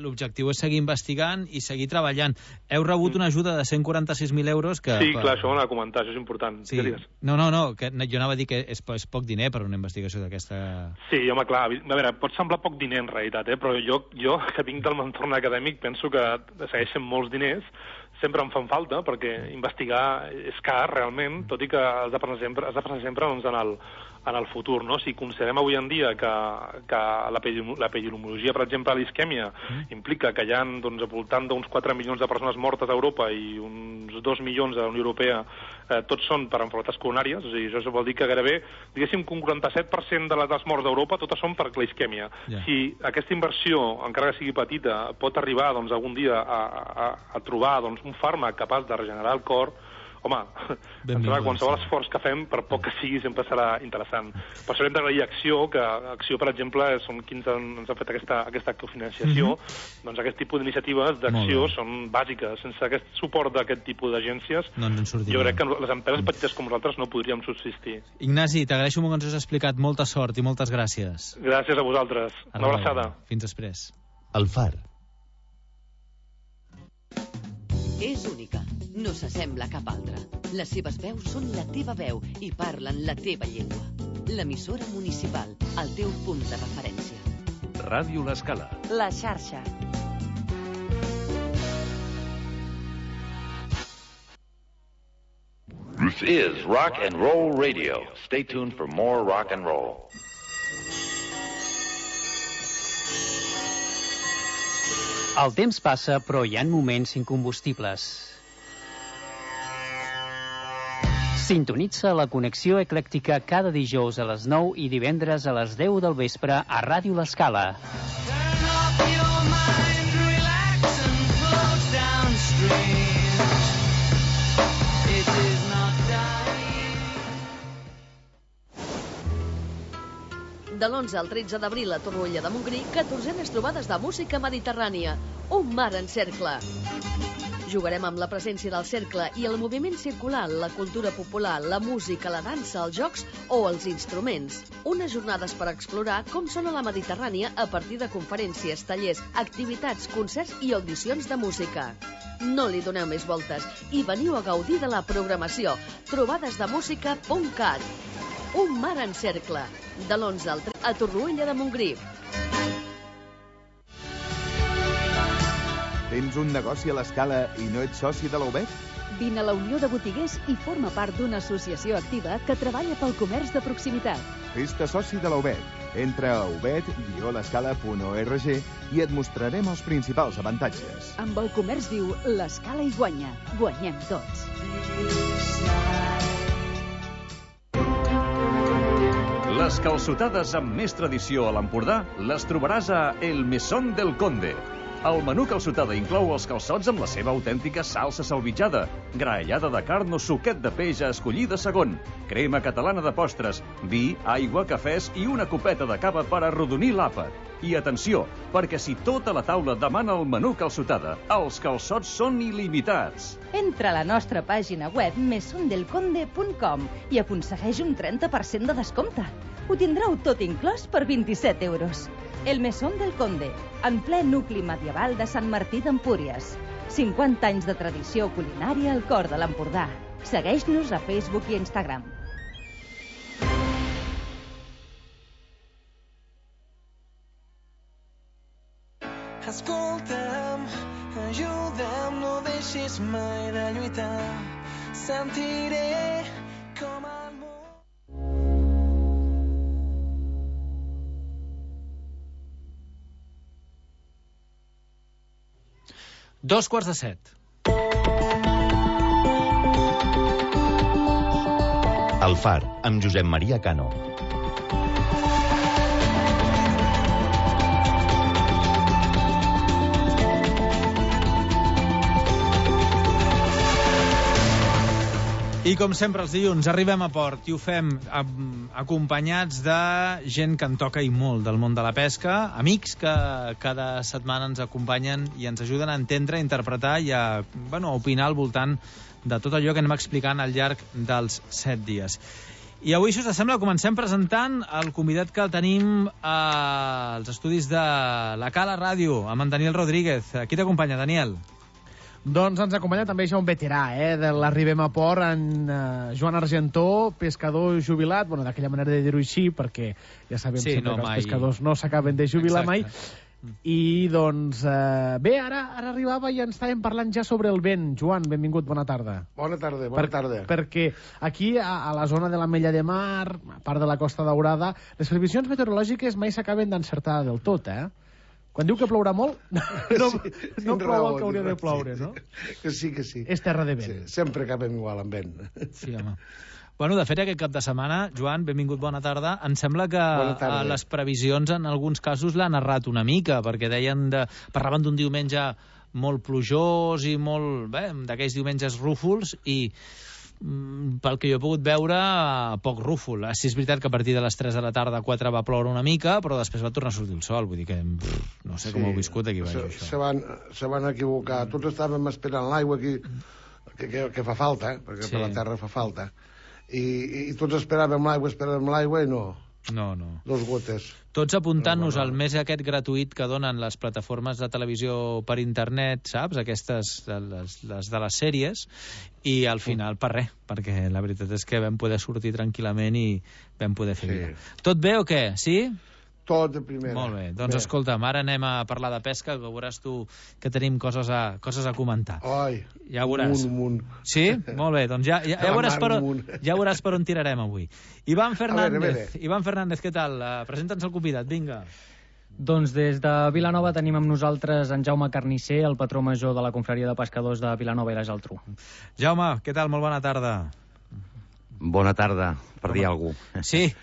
Speaker 9: l'objectiu és seguir investigant i seguir treballant. Heu rebut una ajuda de 146.000 euros que...
Speaker 15: Sí, clar, això ho hem de comentar, això és important.
Speaker 9: Sí. No, que jo anava a dir que és poc diner per una investigació d'aquesta...
Speaker 15: Sí, home, clar, a veure, pot semblar poc diner en realitat, però jo que vinc del entorn acadèmic penso que segueixen molts diners, sempre em fan falta, perquè investigar és car, realment, tot i que has de pensar sempre doncs, en el futur, no? Si considerem avui en dia que l'epidemiologia, per exemple, a l'isquèmia, implica que hi ha doncs, al voltant d'uns 4 milions de persones mortes a Europa i uns 2 milions a la Unió Europea, tots són per malalties coronàries, o sigui, això vol dir que gairebé, diguéssim que un 47% de les morts d'Europa totes són per la isquèmia. Si aquesta inversió, encara que sigui petita, pot arribar doncs, algun dia a trobar doncs, un fàrmac capaç de regenerar el cor, home, qualsevol esforç que fem, per poc que sigui, sempre serà interessant. Per això hem d'agrair Acció, que Acció, per exemple, són qui ens ha fet aquesta cofinanciació. Doncs aquest tipus d'iniciatives d'Acció són bàsiques. Sense aquest suport d'aquest tipus d'agències, jo crec que les empreses petites com nosaltres no podríem subsistir.
Speaker 9: Ignasi, t'agraeixo molt que ens has explicat. Molta sort i moltes gràcies.
Speaker 15: Gràcies a vosaltres. Una abraçada.
Speaker 9: Fins després.
Speaker 8: El Far.
Speaker 1: És única, no s'assembla a cap altra. Les seves veus són la teva veu i parlen la teva llengua. L'emissora municipal, el teu punt de referència.
Speaker 16: Ràdio L'Escala.
Speaker 1: La xarxa.
Speaker 17: This is Rock and Roll Radio. Stay tuned for more rock and roll.
Speaker 18: El temps passa, però hi ha moments incombustibles. Sintonitza la connexió eclèctica cada dijous a les 9 i divendres a les 10 del vespre a Ràdio L'Escala.
Speaker 19: De l'11 al 13 d'abril a Torroella de Montgrí, 14enes trobades de música mediterrània. Un mar en cercle. Jugarem amb la presència del cercle i el moviment circular, la cultura popular, la música, la dansa, els jocs o els instruments. Unes jornades per explorar com sona la Mediterrània a partir de conferències, tallers, activitats, concerts i audicions de música. No li doneu més voltes i veniu a gaudir de la programació. Trobadesdemusica.cat. Un mar en cercle. De l'11 al 13 a Torroella de Montgrí.
Speaker 20: Tens un negoci a l'Escala i no ets soci de la UBEC?
Speaker 21: Vine a la Unió de Botiguers i forma part d'una associació activa que treballa pel comerç de proximitat.
Speaker 20: Fes-te soci de la UBEC. Entra a ubed-l'escala.org i et mostrarem els principals avantatges.
Speaker 21: Amb el comerç viu, l'Escala hi guanya. Guanyem tots.
Speaker 16: Les calçotades amb més tradició a l'Empordà les trobaràs a El Mesón del Conde. El menú calçotada inclou els calçots amb la seva autèntica salsa salvitjada, graellada de carn o suquet de peix a escollir de segon, crema catalana de postres, vi, aigua, cafès i una copeta de cava per arrodonir l'àpat. I atenció, perquè si tota la taula demana el menú calçotada, els calçots són il·limitats.
Speaker 22: Entra a la nostra pàgina web mesondelconde.com i aconsegueix un 30% de descompte.
Speaker 4: Ho tindreu tot inclòs per 27 euros. El Mesón del Conde, en ple nucli medieval de Sant Martí d'Empúries. 50 anys de tradició culinària al cor de l'Empordà. Segueix-nos a Facebook i Instagram.
Speaker 22: Escolta'm, ajuda'm, no deixis mai de lluitar. Sentiré com el món...
Speaker 9: 7:02.
Speaker 8: El Far, amb Josep Maria Cano.
Speaker 9: I com sempre els dilluns arribem a port i ho fem acompanyats de gent que en toca i molt del món de la pesca, amics que cada setmana ens acompanyen i ens ajuden a entendre, a interpretar i a opinar al voltant de tot allò que anem explicant al llarg dels 7 dies. I avui, si us sembla, comencem presentant el convidat que tenim als estudis de la Cala Ràdio, amb en Daniel Rodríguez. Qui t'acompanya, Daniel?
Speaker 2: Doncs ens acompanya també ja un veterà de l'Arribem a Port, en Joan Argentó, pescador jubilat, d'aquella manera de dir-ho així, perquè ja sabem sempre que els pescadors no s'acaben de jubilar mai. I doncs bé, ara arribava i ens estàvem parlant ja sobre el vent. Joan, benvingut, bona tarda.
Speaker 23: Bona tarda.
Speaker 2: Perquè aquí, a la zona de l'Ametlla de Mar, a part de la Costa Daurada, les previsions meteorològiques mai s'acaben d'encertar del tot, Quan diu que plourà molt, no plou el que hauria de ploure, no?
Speaker 23: Que sí.
Speaker 2: És terra de vent.
Speaker 23: Sí, sempre acabem igual amb vent.
Speaker 9: Sí, home. Bueno, de fet, aquest cap de setmana, Joan, benvingut, bona tarda. Em sembla que les previsions en alguns casos l'han errat una mica, perquè parlaven d'un diumenge molt plujós i molt, d'aquells diumenges rúfols, i pel que jo he pogut veure, poc rúfol. Sí, és veritat que a partir de les 3 de la tarda a 4 va ploure una mica, però després va tornar a sortir el sol. Vull dir que no sé com ho he viscut aquí baix, això.
Speaker 23: Se van equivocar. Tots estàvem esperant l'aigua aquí, que fa falta, perquè per la terra fa falta. I tots esperàvem l'aigua i no.
Speaker 9: No.
Speaker 23: Dos gotes.
Speaker 9: Tots apuntant-nos al mes aquest gratuït que donen les plataformes de televisió per internet, saps? Aquestes, les de les sèries, i al final per res, perquè la veritat és que vam poder sortir tranquil·lament i vam poder fer vida. Tot bé o què? Sí?
Speaker 23: Tot de primera.
Speaker 9: Molt bé, doncs escolta'm, ara anem a parlar de pesca, que veuràs tu que tenim coses a comentar.
Speaker 23: Ai,
Speaker 9: ja veuràs.
Speaker 23: Un.
Speaker 9: Sí? Molt bé, doncs ja veuràs per on tirarem avui. Ivan Fernández, què tal? Presenta'ns el convidat, vinga.
Speaker 24: Doncs des de Vilanova tenim amb nosaltres en Jaume Carnisser, el patró major de la Confraria de Pescadors de Vilanova i la Geltrú.
Speaker 9: Jaume, què tal? Molt bona tarda.
Speaker 25: Bona tarda, per dir alguna cosa.
Speaker 9: Sí.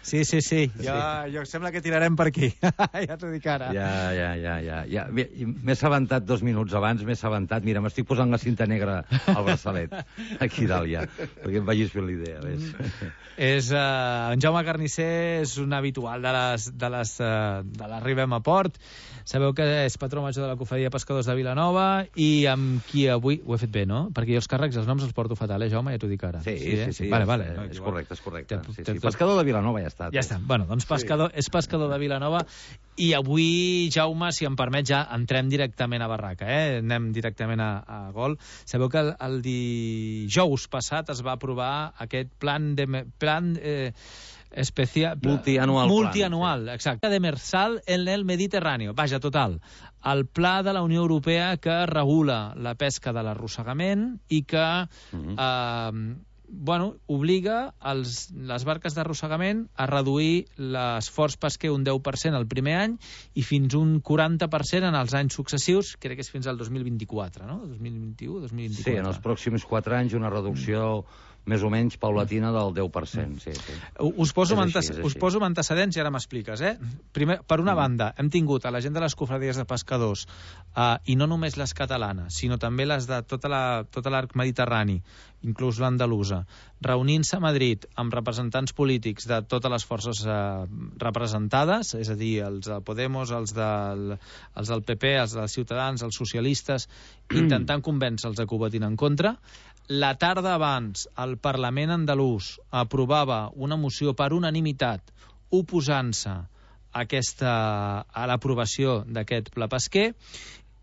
Speaker 9: Jo sembla que tirarem per aquí. Ja t'ho dic ara.
Speaker 25: Ja. M'he assabentat 2 minuts abans, Mira, m'estic posant la cinta negra al braçalet, aquí dalt ja, perquè em vagis fent l'idea, ves.
Speaker 9: En Jaume Carnisser és un habitual de l'Arribem a Port. Sabeu que és patró major de la Confraria de Pescadors de Vilanova i amb qui avui... Ho he fet bé, no? Perquè jo els càrrecs i els noms els porto fatal, Jaume? Ja t'ho dic ara.
Speaker 25: Sí.
Speaker 9: Vale.
Speaker 25: És correcte. Pescador de Vilanova ja està.
Speaker 9: Ja està. Bueno, doncs és pescador de Vilanova i avui, Jaume, si em permet, ja entrem directament a barraca, Anem directament a gol. Sabeu que el dijous passat es va aprovar aquest plan especial multianual, exacte, demersal en el Mediterrani. Vaja, total, el pla de la Unió Europea que regula la pesca de l'arrossegament i que obliga les barques d'arrossegament a reduir l'esforç pesquer un 10% el primer any i fins un 40% en els anys successius, crec que és fins al 2024, no? 2021, 2024.
Speaker 25: Sí, en els pròxims 4 anys una reducció més o menys paulatina del 10%. Sí.
Speaker 9: Us poso antecedents i ara m'expliques. Primer, per una banda, hem tingut a la gent de les cofradies de pescadors, i no només les catalanes, sinó també les de tot l'arc mediterrani, inclús l'andalusa, reunint-se a Madrid amb representants polítics de totes les forces representades, és a dir, els de Podemos, els del PP, els dels Ciutadans, els socialistes, intentant convèncer-los que ho votin en contra. La tarda abans, el Parlament andalús aprovava una moció per unanimitat oposant-se a l'aprovació d'aquest pla pesquer,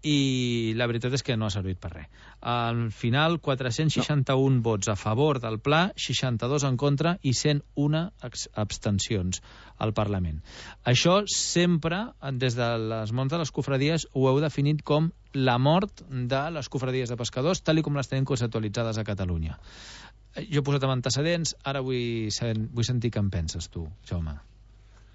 Speaker 9: i la veritat és que no ha servit per res. Al final, 461 vots a favor del pla, 62 en contra i 101 abstencions al Parlament. Això sempre, des de les mons de les cofradies, ho heu definit com la mort de les cofradies de pescadors, tal com les tenim conceptualitzades a Catalunya. Jo he posat amb antecedents, ara vull sentir què en penses tu, Jaume.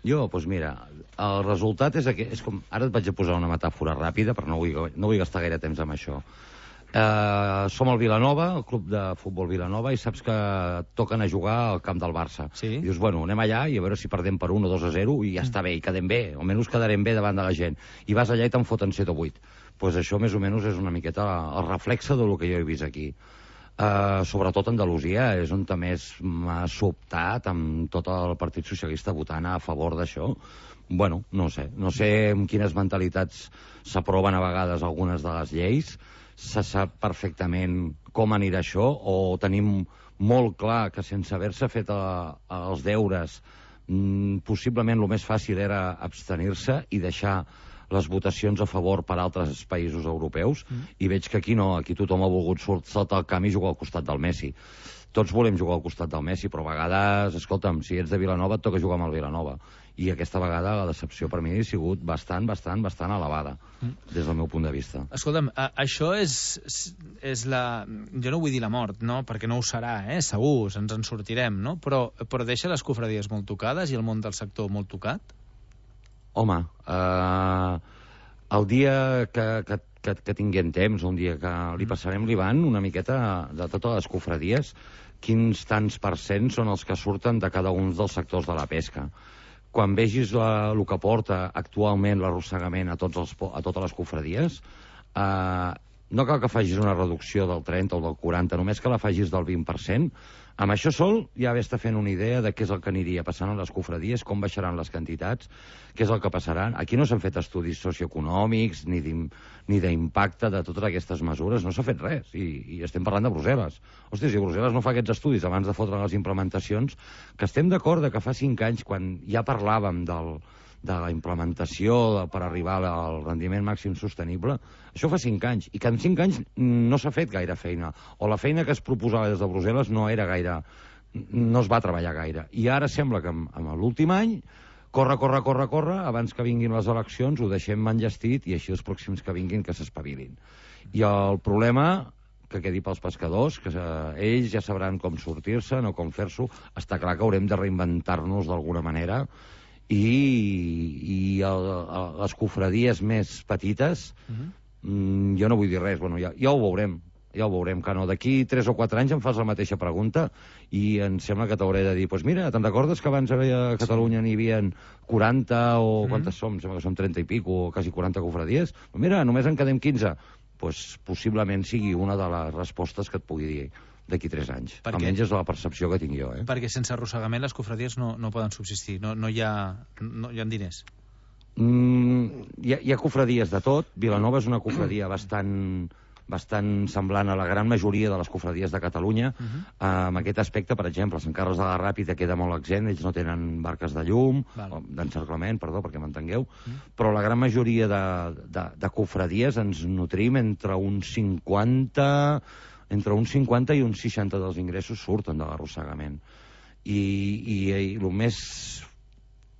Speaker 25: Jo, doncs mira, el resultat és com... Ara et vaig a posar una metàfora ràpida, però no vull gastar gaire temps amb això. Som al Vilanova, el club de futbol Vilanova, i saps que toquen a jugar al camp del Barça.
Speaker 9: Sí.
Speaker 25: I dius, bueno, anem allà i a veure si perdem per 1 o 2-0 i ja està bé, i quedem bé, almenys quedarem bé davant de la gent. I vas allà i te'n foten 7 o 8. Doncs això més o menys és una miqueta el reflexe del que jo he vist aquí. Sobretot Andalusia és on més m'ha sobtat amb tot el Partit Socialista votant a favor d'això. Bueno, no sé amb quines mentalitats s'aproven a vegades algunes de les lleis, se sap perfectament com anirà això, o tenim molt clar que sense haver-se fet els deures possiblement el més fàcil era abstenir-se i deixar les votacions a favor per altres països europeus, i veig que aquí no, aquí tothom ha volgut saltar el camp i jugar al costat del Messi. Tots volem jugar al costat del Messi, però a vegades, escolta'm, si ets de Vilanova et toca jugar amb el Vilanova. I aquesta vegada la decepció per mi ha sigut bastant elevada, des del meu punt de vista.
Speaker 9: Escolta'm, això és la... Jo no vull dir la mort, no? Perquè no ho serà, segur, ens en sortirem, no? Però deixa les cofradies molt tocades i el món del sector molt tocat?
Speaker 25: Home, el dia que tinguem temps, un dia que li passarem l'Ivan una miqueta de totes les cofradies, quins tants % són els que surten de cada un dels sectors de la pesca. Quan vegis el que porta actualment l'arrossegament a totes les cofradies, no cal que facis una reducció del 30 o del 40, només que la facis del 20%. Amb això sol ja està fent una idea de què és el que aniria passant a les cofradies, com baixaran les quantitats, què és el que passarà. Aquí no s'han fet estudis socioeconòmics ni d'impacte de totes aquestes mesures, no s'ha fet res, i estem parlant de Brussel·les. Hòstia, si Brussel·les no fa aquests estudis abans de fotre les implementacions, que estem d'acord que fa 5 anys, quan ja parlàvem de la implementació per arribar al rendiment màxim sostenible, això fa 5 anys, i que en 5 anys no s'ha fet gaire feina, o la feina que es proposava des de Brussel·les no es va treballar gaire, i ara sembla que amb l'últim any corre, abans que vinguin les eleccions ho deixem enllestit, i així els pròxims que vinguin que s'espavilin. I el problema que quedi pels pescadors, que ells ja sabran com sortir-se'n o com fer-s'ho, està clar que haurem de reinventar-nos d'alguna manera, i les cofradies més petites, jo no vull dir res, bueno, ja ho veurem, que no, d'aquí 3 o 4 anys em fas la mateixa pregunta i em sembla que t'hauré de dir, doncs mira, te'n recordes que abans a Catalunya n'hi havia 40 o quantes som? Sembla que som 30 i pic o quasi 40 cofradies. Mira, només en quedem 15. Doncs possiblement sigui una de les respostes que et pugui dir d'aquí 3 anys. Almenys és la percepció que tinc jo.
Speaker 9: Perquè sense arrossegament les cofradies no poden subsistir, no hi ha diners.
Speaker 25: Hi ha cofradies de tot. Vilanova és una cofradia bastant semblant a la gran majoria de les cofradies de Catalunya. En aquest aspecte, per exemple, Sant Carles de la Ràpita queda molt exempt, ells no tenen barques de llum, d'encerclament, perdó, perquè m'entengueu, però la gran majoria de cofradies ens nutrim entre un 50 i un 60 dels ingressos surten de l'arrossegament. I el més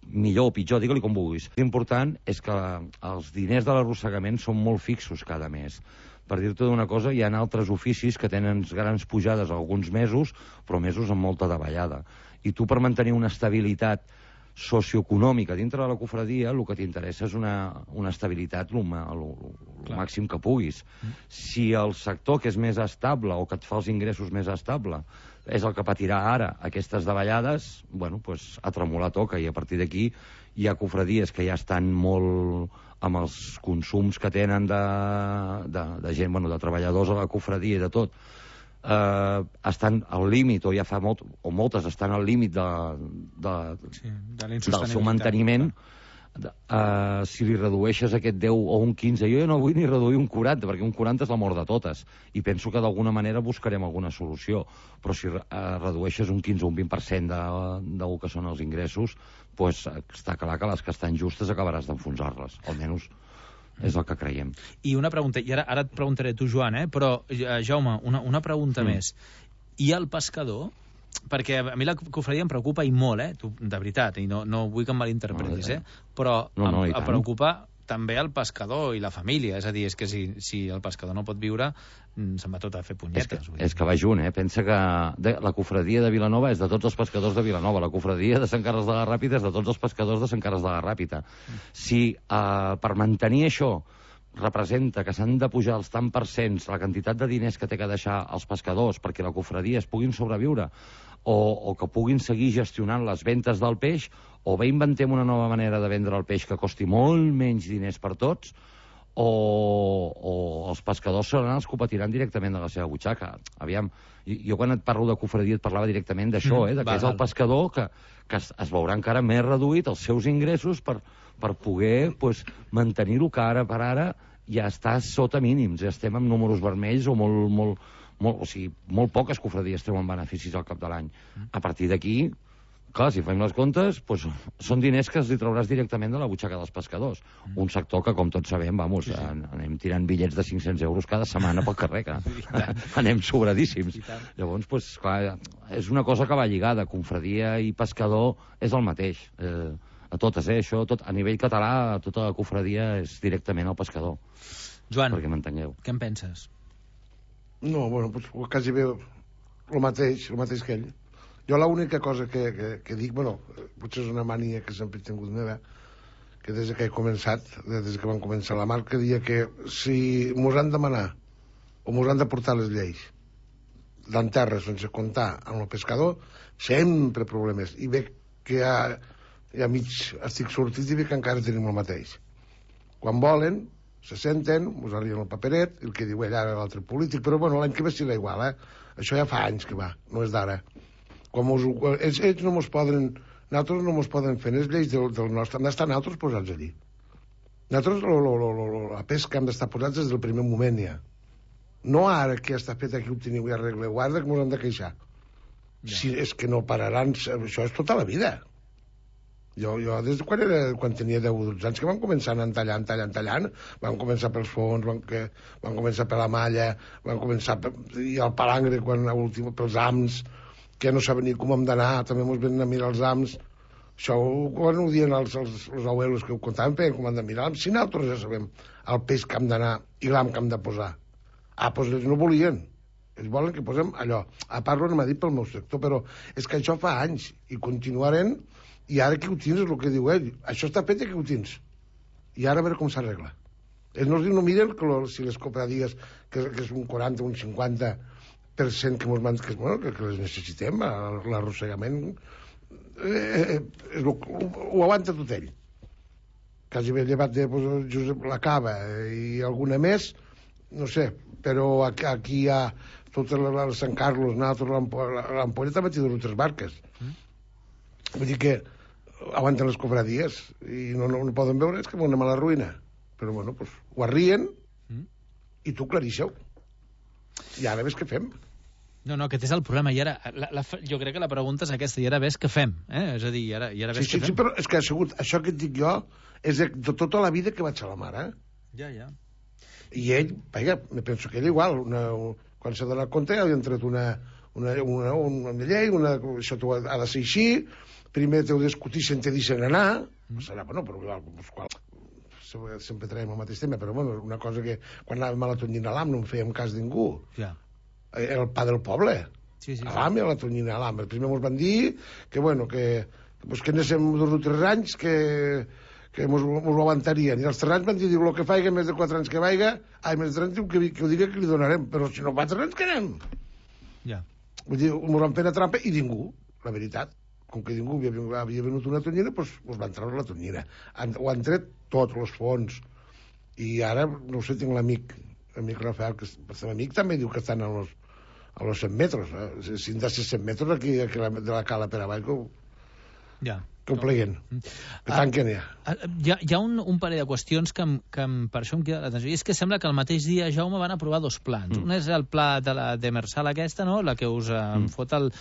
Speaker 25: millor o pitjor, digue-li com vulguis. L'important és que els diners de l'arrossegament són molt fixos cada mes. Per dir-te una cosa, hi ha altres oficis que tenen grans pujades alguns mesos, però mesos amb molta davallada. I tu, per mantenir una estabilitat socioeconòmica dintre de la cofradia, el que t'interessa és una estabilitat el màxim que puguis. Si el sector que és més estable o que et fa els ingressos més estable és el que patirà ara aquestes davallades, bueno, doncs a tremolar toca, i a partir d'aquí hi ha cofradies que ja estan molt amb els consums que tenen de gent, bueno, de treballadors a la cofradia i de tot, estan al límit, o ja fa moltes estan al límit del seu manteniment, si li redueixes aquest 10 o un 15, jo no vull ni reduir un 40, perquè un 40 és la mort de totes, i penso que d'alguna manera buscarem alguna solució, però si redueixes un 15 o un 20% del que són els ingressos, pues, està clar que les que estan justes acabaràs d'enfonsar-les, almenys és el que creiem.
Speaker 9: I una pregunta, i ara et preguntaré tu, Joan, però, Jaume, una pregunta més. I el pescador? Perquè a mi la cofradia em preocupa i molt, de veritat, i no vull que em malinterpretis, però em preocupa també el pescador i la família, és a dir, és que si el pescador no pot viure, se'n va tot a fer punyetes.
Speaker 25: És que va junt, pensa que la cofradia de Vilanova és de tots els pescadors de Vilanova, la cofradia de Sant Carles de la Ràpita és de tots els pescadors de Sant Carles de la Ràpita. Si per mantenir això representa que s'han de pujar els tant percents la quantitat de diners que té que deixar els pescadors perquè la cofradia es puguin sobreviure o que puguin seguir gestionant les ventes del peix, o bé inventem una nova manera de vendre el peix que costi molt menys diners per tots, o els pescadors seran els que ho patiran directament de la seva butxaca. Aviam, jo quan et parlo de cofradia et parlava directament d'això, que és el pescador que es veurà encara més reduït els seus ingressos per poder mantenir-ho, que ara per ara ja està sota mínims, ja estem amb números vermells o molt poques cofradies treuen beneficis al cap de l'any. A partir d'aquí, clar, si fem les comptes, són diners que els hi trauràs directament de la butxaca dels pescadors. Un sector que, com tots sabem, anem tirant bitllets de 500 euros cada setmana pel carrer, que anem sobradíssims. Llavors, clar, és una cosa que va lligada. Cofradia i pescador és el mateix. A totes, això, a nivell català, tota la cofradia és directament al pescador.
Speaker 9: Joan,
Speaker 25: perquè m'entengueu.
Speaker 9: Què en penses?
Speaker 23: No, bueno, quasi bé el mateix que ell. Jo l'única cosa que dic, bueno, potser és una mania que sempre he tingut meva, que des que he començat, des que vam començar la marca, dia que si mos han de manar o mos han de portar les lleis d'en terra sense comptar amb el pescador, sempre problemes. I bé que ja mig estic sortit i veig que encara tenim el mateix. Quan volen, se senten, us arriben el paperet, el que diu ara l'altre polític, però bueno, l'any que ve serà igual, Això ja fa anys que va, no és d'ara. Ells no mos poden, nosaltres no mos poden fer les lleis del nostre, hem d'estar nosaltres posats allí. Nosaltres la pesca hem d'estar posats des del primer moment ja. No ara que ja està fet aquí ho teniu ja arregle, guarda que mos hem de queixar. Si és que no pararan, això és tota la vida. Jo des de quan tenia 10 o 12 anys que van començar anant tallant, van començar pels fons, van començar per la malla, van començar i el palangre pels ams, que no saben ni com hem d'anar, també ens venen a mirar els ams. Això quan ho diuen els abuelos que ho contaven, com han de mirar, si nosaltres ja sabem el peix que hem d'anar i l'am que hem de posar. Doncs ells no volien. Ells volen que posem allò. A part, no m'ha dit pel meu sector, però és que això fa anys i continuarem. I ara que ho tens és el que diu ell. Això està fet i que ho tens. I ara a veure com s'arregla. Ells no miren si les cofradies, que és un 40 o un 50% que les necessitem, l'arrossegament, ho aguanta tot ell. Quasi bé llevat de Josep la Cava i alguna més, no sé, però aquí hi ha tot el Sant Carlos, l'Ampolla també té 2 o 3 barques. Vull dir que aguanten les cofradies i no poden veure, és que anem a la ruïna. Però bueno, ho arrien i tu clarixeu. I ara ves què fem.
Speaker 9: No, aquest és el problema. I ara, jo crec que la pregunta és aquesta. I ara ves què fem. És a dir, i ara ves què fem.
Speaker 23: Sí, però és que això que et dic jo és de tota la vida que vaig a la mare.
Speaker 9: Ja.
Speaker 23: I ell, me penso que ell igual, quan s'ha donat compte, ja li han tret una llei, això ha de ser així. Primer t'heu de discutir si te deixen anar, serà, bueno, però sempre traiem el mateix tema, però bueno, una cosa que quan anàvem a la tonyina a l'AM no en fèiem cas de ningú. Era el pa del poble. A l'AM i a la tonyina a l'AM. Primer ens van dir que, bueno, que anéssim 2 o 3 anys que mos ho aguantarien. I els 3 anys van dir, el que faiga més de 4 anys que vaiga, més de 3 anys que ho digui que li donarem, però si no 4 anys que anem. Vull dir, mos van fer una trampa i ningú, la veritat. Com que ningú havia venut una tonyina, doncs van treure la tonyina. Ho han tret tots els fons. I ara, no sé, tinc l'amic Rafael, que és amic, també diu que estan a los 100 metres. Si han de ser 100 metres aquí de la cala per avall, que ho pleguen. Per tant, que n'hi ha.
Speaker 9: Hi ha un parell de qüestions que per això em queda l'atenció. I és que sembla que el mateix dia, Jaume, van aprovar dos plans. Un és el pla de la demersal aquesta, no?, la que us fot el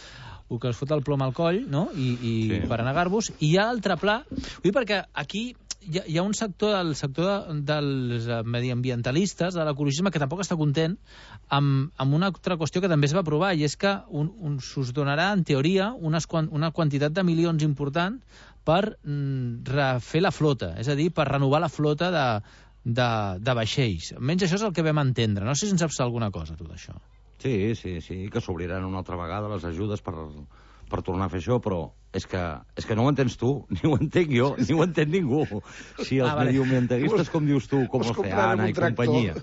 Speaker 9: plom al coll, no?, i per negar-vos. I hi ha l'altre pla, perquè aquí hi ha un sector, el sector dels mediambientalistes, de l'ecologisme, que tampoc està content amb una altra qüestió que també es va aprovar, i és que s'us donarà, en teoria, una quantitat de milions important per refer la flota, és a dir, per renovar la flota de vaixells. Almenys això és el que vam entendre. No sé si en saps alguna cosa, tot això.
Speaker 25: Sí, que s'obriran una altra vegada les ajudes per tornar a fer això, però és que no ho entens tu, ni ho entenc jo, ni ho entén ningú. Si els mediambientalistes, com dius tu, com l'Oceana i companyia,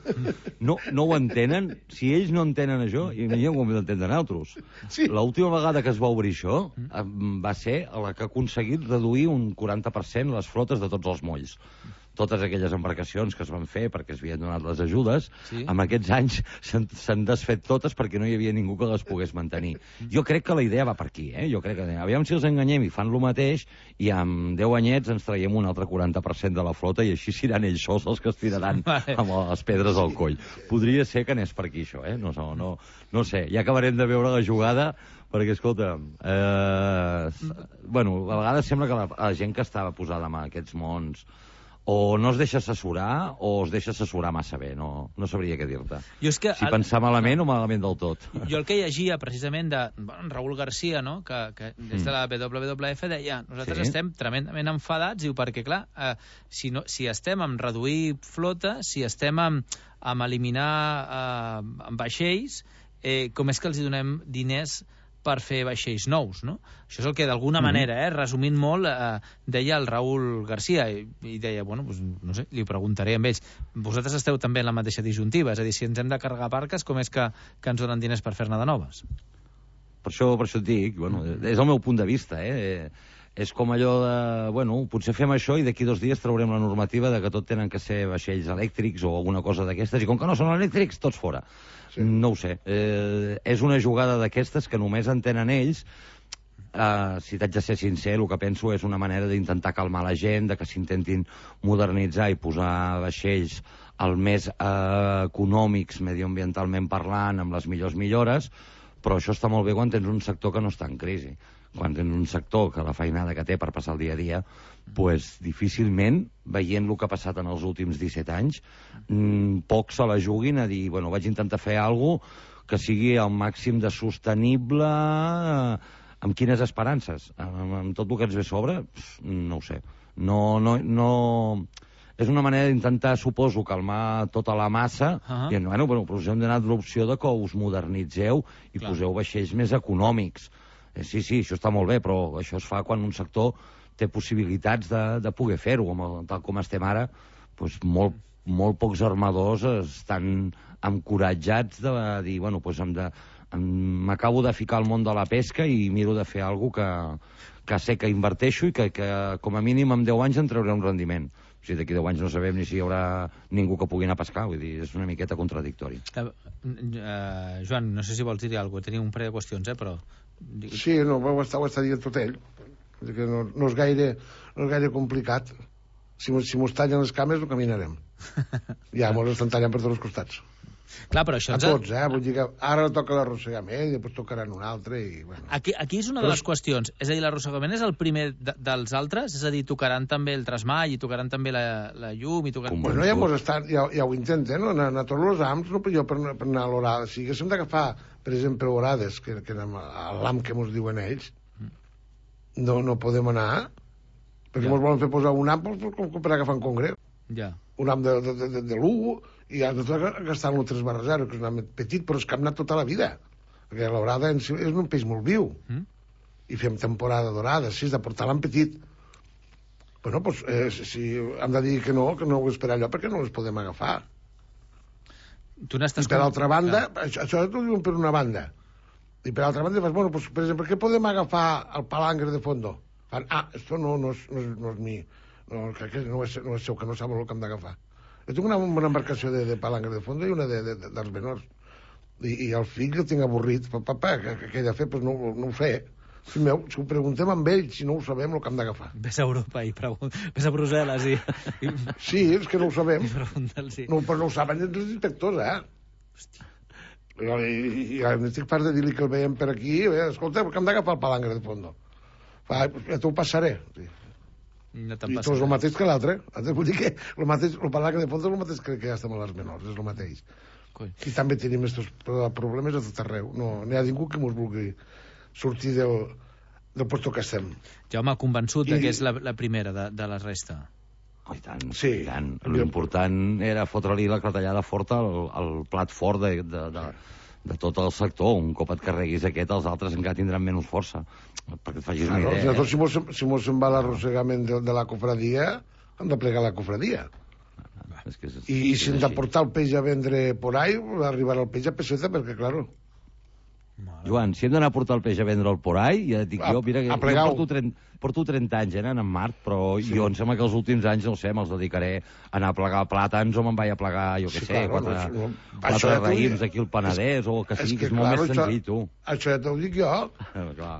Speaker 25: no ho entenen, si ells no entenen això, imaginem com ho entenen altres. L'última vegada que es va obrir això va ser la que ha aconseguit reduir un 40% les flotes de tots els molls. Totes aquelles embarcacions que es van fer perquè es havien donat les ajudes, en aquests anys s'han desfet totes perquè no hi havia ningú que les pogués mantenir. Jo crec que la idea va per aquí, Jo crec que, aviam si els enganyem i fan el mateix, i amb 10 anyets ens traiem un altre 40% de la flota i així seran ells sols els que es tiraran amb les pedres al coll. Podria ser que anés per aquí, això, No sé, ja acabarem de veure la jugada, perquè, escolta, a vegades sembla que la gent que estava posada en aquests mons o no es deixa assessorar o es deixa assessorar massa bé, no sabria què dir-te. Si pensar malament o malament del tot.
Speaker 9: Jo el que llegia precisament de Raúl García, no?, que des de la WWF deia, nosaltres estem tremendament enfadats, diu, perquè clar, si estem en reduir flota, si estem en eliminar vaixells, com és que els donem diners per fer vaixells nous, no? Això és el que d'alguna manera, resumint molt, deia el Raúl García, i deia, no sé, li ho preguntaré amb ells, vosaltres esteu també en la mateixa disjuntiva, és a dir, si ens hem de carregar barques, com és que ens donen diners per fer-ne de noves?
Speaker 25: Per això et dic, és el meu punt de vista, És com allò de, potser fem això i d'aquí 2 dies traurem la normativa de que tot tenen que ser vaixells elèctrics o alguna cosa d'aquestes, i com que no són elèctrics, tots fora. No ho sé. És una jugada d'aquestes que només entenen ells. Si t'haig de ser sincer, el que penso és una manera d'intentar calmar la gent, de que s'intentin modernitzar i posar vaixells el més econòmics, mediambientalment parlant, amb les millors millores, però això està molt bé quan tens un sector que no està en crisi. Quan tens un sector que la feinada que té per passar el dia a dia, difícilment, veient el que ha passat en els últims 17 anys, pocs se la juguin a dir, vaig intentar fer alguna cosa que sigui al màxim de sostenible. Amb quines esperances? Amb tot el que ens ve a sobre? No ho sé. No... És una manera d'intentar, suposo, calmar tota la massa, dient, però us hem donat l'opció de que us modernitzeu i poseu vaixells més econòmics. Sí, això està molt bé, però això es fa quan un sector té possibilitats de poder fer-ho. Tal com estem ara, molt pocs armadors estan encoratjats de dir, m'acabo de ficar al món de la pesca i miro de fer alguna cosa que sé que inverteixo i que com a mínim en 10 anys en trauré un rendiment. O sigui, d'aquí 10 anys no sabem ni si hi haurà ningú que pugui anar a pescar, vull dir, és una miqueta contradictori.
Speaker 9: Joan, no sé si vols dir alguna cosa, tenia un parell de qüestions, però...
Speaker 23: Sí, ho està dient tot ell, que no és gaire complicat. Si mos tallen les cames, no caminarem. Ja, mos estan tallant per tots els costats.
Speaker 9: Clar, però això...
Speaker 23: A tots, vull dir que ara toca l'arrossegament i després tocaran un altre i...
Speaker 9: Aquí és una de les qüestions. És a dir, l'arrossegament és el primer dels altres? És a dir, tocaran també el trasmall i tocaran també la llum i tocaran...
Speaker 23: Bueno, ja ho intenten, no? A tots els AMs, no jo per anar a l'horada. Si haguéssim d'agafar, per exemple, horades, que anem a l'AM que mos diuen ells, no podem anar, perquè mos volen fer posar un AM per agafar un congre. Un AM de l'1, i has de gastar-lo 3/0, que és un am petit, però és que hem anat tota la vida, perquè l'orada és un peix molt viu, i fem temporada d'orada, si és de portar l'am petit. Bueno, si hem de dir que no ho esperar allò, perquè no les podem agafar. I per altra banda, això t'ho diuen per una banda, i per altra banda, per exemple, què podem agafar al palangre de fondo? Esto no és mi, no és seu, que no sap el que hem d'agafar. Jo tinc una embarcació de palangre de fondo i una dels menors. I el fill el tinc avorrit. Papa, què he de fer? Doncs no ho sé. Fill meu, si ho preguntem amb ells, si no ho sabem, el que hem d'agafar.
Speaker 9: Ves a Europa i ves a Brussel·les i...
Speaker 23: Sí, és que no ho sabem.
Speaker 9: Pregunta'ls-hi.
Speaker 23: No, però no ho saben els inspectors, Hòstia. I estic part de dir-li que el veiem per aquí, escolta, que hem d'agafar el palangre de fondo. Ja t'ho passaré.
Speaker 9: No
Speaker 23: I tot és el mateix que l'altre. Vull dir que el palangre de fondo és el mateix que ja estem a les menors, és el mateix. I també tenim aquests problemes a tot arreu. No hi ha ningú que ens vulgui sortir del puesto que estem.
Speaker 9: Jaume, convençut que és la primera de la resta.
Speaker 25: Oh, i tant, sí. I tant. L'important era fotre-li la clatellada forta al plat fort de tot el sector. Un cop et carreguis aquest, els altres encara tindran menys força. Perquè et facis una idea.
Speaker 23: Nosaltres, si mos en va l'arrossegament de la cofradia, hem de plegar la cofradia. I si hem de portar el peix a vendre por ahí, arribarà el peix a peseta, perquè, claro...
Speaker 25: Joan, si hem d'anar a portar el peix a vendre'l por ahí, ja et dic jo, mira, jo porto 30 anys anant en Mart, però jo em sembla que els últims anys, no sé, me'ls dedicaré a anar a plegar plàtans o me'n vaig a plegar, jo què sé, quatre raïms aquí al Penedès o el que sigui, que és molt més senzill, tu.
Speaker 23: Això ja t'ho dic jo.
Speaker 25: Clar.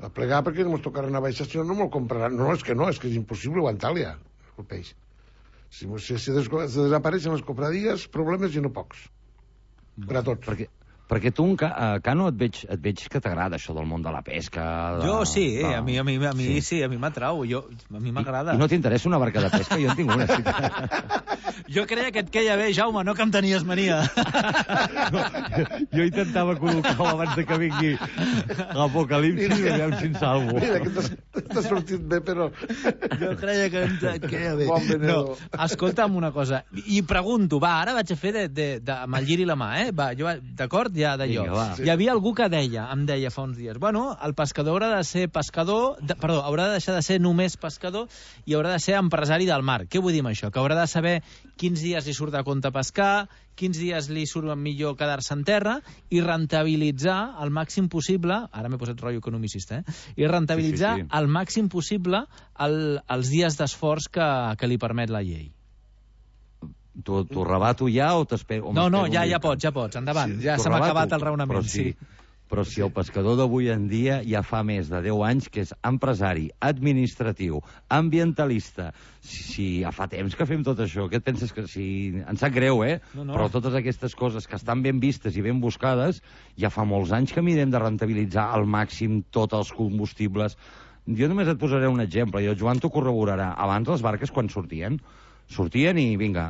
Speaker 23: A plegar perquè no ens tocarà anar a baixar, si no me'l compraran. No, és que és impossible aguantar-li, el peix. Si desapareixen les cofradies, problemes i no pocs. Per a tots.
Speaker 25: Perquè tu, Cano, et veig que t'agrada això del món de la pesca.
Speaker 9: Jo sí, a mi sí, a mi m'atrau, a mi m'agrada.
Speaker 25: I no t'interessa una barca de pesca? Jo en tinc una.
Speaker 9: Jo creia que et queia bé, Jaume, no que em tenies mania.
Speaker 25: Jo intentava col·locar-ho abans de que vingui l'apocalipsi i veiem si en salvo.
Speaker 23: Mira, que t'ha sortit bé, però...
Speaker 9: Jo creia que et queia bé. No, escolta'm una cosa, i pregunto, ara vaig a fer amb el gir i la mà, d'acord? Ja d'allò. Hi havia algú que em deia fa uns dies, bueno, el pescador haurà de ser pescador, haurà de deixar de ser només pescador i haurà de ser empresari del mar. Què vull dir amb això? Que haurà de saber quins dies li surt a compte pescar, quins dies li surt millor quedar-se en terra i rentabilitzar al màxim possible, ara m'he posat rotllo economicista, i rentabilitzar al màxim possible els dies d'esforç que li permet la llei.
Speaker 25: T'ho rebato ja o t'espero?
Speaker 9: No, ja pots, endavant. Ja se m'ha acabat el raonament,
Speaker 25: Però si el pescador d'avui en dia ja fa més de 10 anys que és empresari, administratiu, ambientalista, si ja fa temps que fem tot això, què et penses que si... Em sap greu, No. Però totes aquestes coses que estan ben vistes i ben buscades, ja fa molts anys que mirem de rentabilitzar al màxim tots els combustibles. Jo només et posaré un exemple, i el Joan t'ho corroborarà. Abans les barques quan sortien i vinga,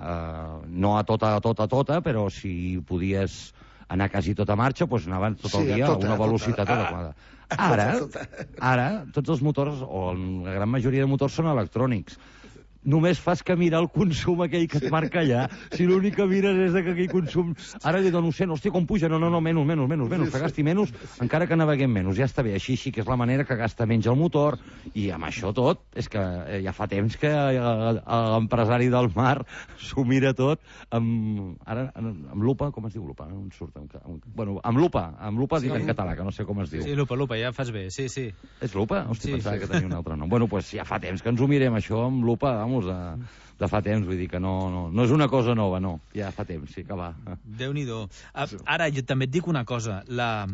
Speaker 25: no a tota, però si podies anar quasi tota marxa, doncs anaven tot el dia a una velocitat adequada. Ara, tots els motors, o la gran majoria de motors, són electrònics. Només fas que mirar el consum aquell que et marca allà. Si l'únic que mires és que aquell consum... Ara li dono 100, hòstia, com puja? No, menys, que gasti menys, encara que naveguem menys. Ja està bé, així que és la manera que gasta menys el motor, i amb això tot, és que ja fa temps que l'empresari del mar s'ho mira tot amb lupa, com es diu lupa? No em surt. Bueno, amb lupa dit en català, que no sé com es diu.
Speaker 9: Sí, lupa, ja fas bé, sí.
Speaker 25: És lupa? Hòstia, pensava que tenia un altre nom. Bueno, doncs ja fa temps que ens ho mirem, això, amb lupa, de fa temps, vull dir que no és una cosa nova, no, ja fa temps, sí que va.
Speaker 9: Déu-n'hi-do. Ara, jo també et dic una cosa, la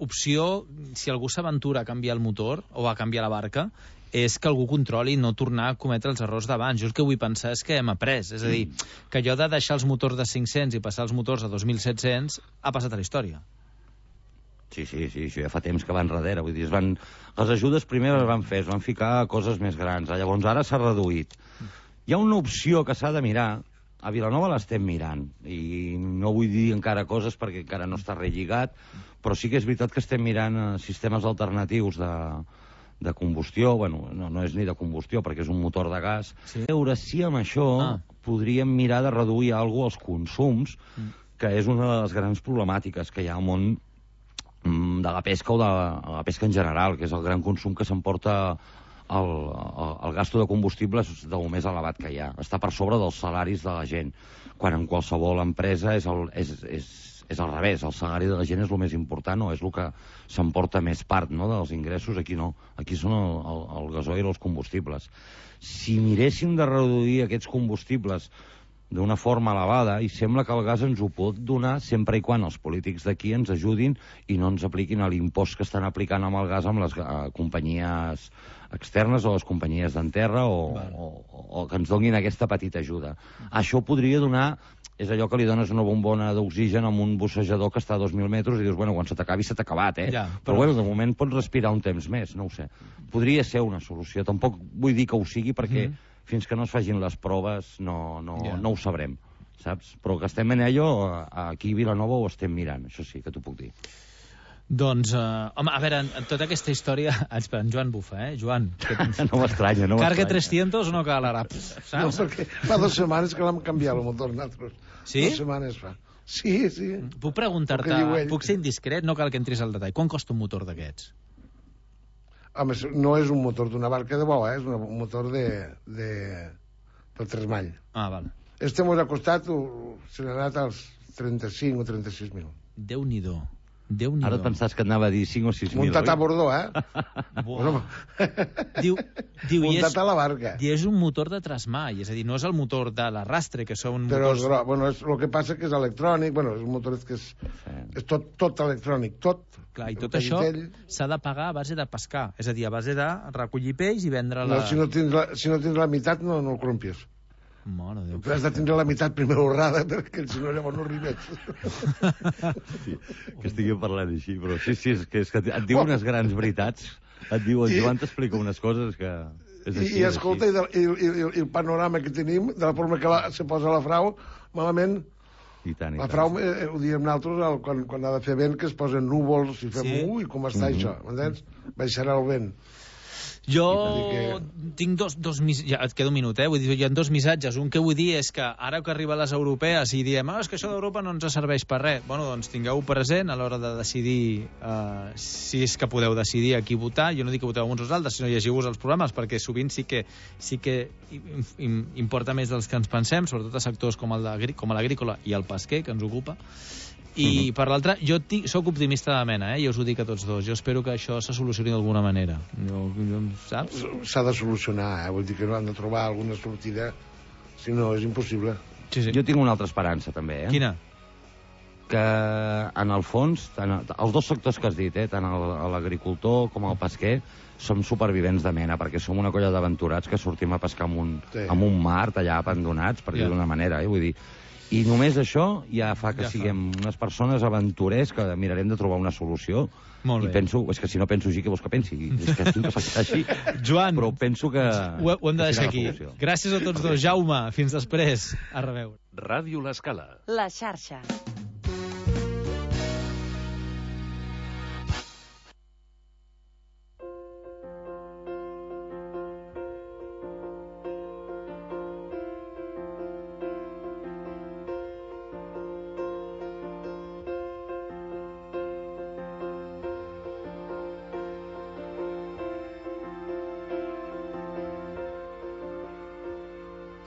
Speaker 9: opció, si algú s'aventura a canviar el motor o a canviar la barca, és que algú controli i no tornar a cometre els errors d'abans. Jo el que vull pensar és que hem après, és a dir, que allò de deixar els motors de 500 i passar els motors a 2.700 ha passat a la història.
Speaker 25: Sí, això ja fa temps que van darrere. Vull dir, les ajudes primer es van ficar coses més grans. Llavors ara s'ha reduït. Hi ha una opció que s'ha de mirar. A Vilanova l'estem mirant. I no vull dir encara coses perquè encara no està relligat, però sí que és veritat que estem mirant sistemes alternatius de combustió. Bueno, no és ni de combustió perquè és un motor de gas. A veure si amb això podríem mirar de reduir alguna cosa els consums, que és una de les grans problemàtiques que hi ha al món de la pesca o de la pesca en general, que és el gran consum que s'emporta el gasto de combustibles del més elevat que hi ha. Està per sobre dels salaris de la gent, quan en qualsevol empresa és al revés, el salari de la gent és el més important o és el que s'emporta més part, no, dels ingressos. Aquí no, aquí són el gasoil i els combustibles. Si miréssim de reduir aquests combustibles d'una forma elevada, i sembla que el gas ens ho pot donar sempre i quan els polítics d'aquí ens ajudin i no ens apliquin l'impost que estan aplicant amb el gas amb les companyies externes o les companyies d'enterra o que ens donin aquesta petita ajuda. Això podria donar... És allò que li dones una bombona d'oxigen amb un bussejador que està a 2.000 metres i dius, bueno, quan se t'acabi, se t'ha acabat, eh?
Speaker 9: Ja,
Speaker 25: però bueno, de moment pots respirar un temps més, no ho sé. Podria ser una solució. Tampoc vull dir que ho sigui perquè fins que no es facin les proves no ho sabrem, saps? Però que estem en ello, aquí a Vilanova ho estem mirant, això sí que t'ho puc dir.
Speaker 9: Doncs, home, a veure, en tota aquesta història... Espera, en Joan bufa, Joan.
Speaker 25: No m'estranya, no m'estranya.
Speaker 9: Carga 300 o no cal ara? Saps?
Speaker 23: No, perquè fa 2 setmanes que l'hem canviat el motor nosaltres.
Speaker 9: Sí?
Speaker 23: 2 setmanes fa. Sí.
Speaker 9: Puc preguntar-te, puc ser indiscret, no cal que entris al detall. Quan costa un motor d'aquests?
Speaker 23: Home, no és un motor d'una barca de bo, és un motor del tresmall.
Speaker 9: Ah, val.
Speaker 23: Este m'ha costat, se n'ha anat als 35 o 36.000.
Speaker 9: Déu-n'hi-do.
Speaker 25: Ara et pensaves que anava a dir 5 o 6.000.
Speaker 23: Muntat a Bordó, Muntat a la barca.
Speaker 9: I és un motor de trasmall, és a dir, no és el motor de l'arrastre, que són motors...
Speaker 23: Però, bueno, el que passa que és electrònic, bueno, és un motor que és tot electrònic, tot.
Speaker 9: Clar, i tot això s'ha de pagar a base de pescar, és a dir, a base de recollir peix i vendre la...
Speaker 23: No, si no tens la meitat, no el corrompies.
Speaker 9: Mare Déu.
Speaker 23: Has de tindre la meitat primer honrada, perquè si no llavors no arribes.
Speaker 25: Sí, que estiguem parlant així, però sí, és que et diu unes grans veritats. Et diu, el Joan t'explica unes coses que... És així,
Speaker 23: I escolta, i el panorama que tenim, de la forma que se posa la frau, malament... La frau, ho diem nosaltres, quan ha de fer vent, que es posen núvols i fem, ui, com està això, m'entens? Baixarà el vent.
Speaker 9: Jo tinc dos ja et queda un minut, vull dir, hi ha 2 missatges. Un que vull dir és que ara que arriben les europees i diem, és que això d'Europa no ens serveix per res. Bueno, doncs tingueu present a l'hora de decidir si és que podeu decidir a qui votar. Jo no dic que voteu uns o altres, sinó llegiu-vos els programes, perquè sovint sí que importa més dels que ens pensem, sobretot a sectors com l'agrícola i el pesquer, que ens ocupa. I per l'altre, jo sóc optimista de mena, i us ho dic a tots dos. Jo espero que això se solucioni d'alguna manera. Saps?
Speaker 23: S'ha de solucionar, vull dir que no han de trobar alguna sortida, si no és impossible.
Speaker 25: Sí. Jo tinc una altra esperança també,
Speaker 9: Quina?
Speaker 25: Que en el fons, els 2 sectors que has dit, tant l'agricultor com el pesquer, som supervivents de mena, perquè som una colla d'aventurats que sortim a pescar amb un mar allà abandonats, per dir d'una manera, vull dir. I només això ja fa que siguem unes persones aventurers que mirarem de trobar una solució.
Speaker 9: Molt bé.
Speaker 25: I penso, és que si no penso així, què vols que pensi? És que tinc que pensar així.
Speaker 9: Joan,
Speaker 25: però penso que...
Speaker 9: Ho hem de deixar aquí. Gràcies a tots dos. Jaume, fins després. A reveure.
Speaker 16: Ràdio L'Escala.
Speaker 4: La xarxa.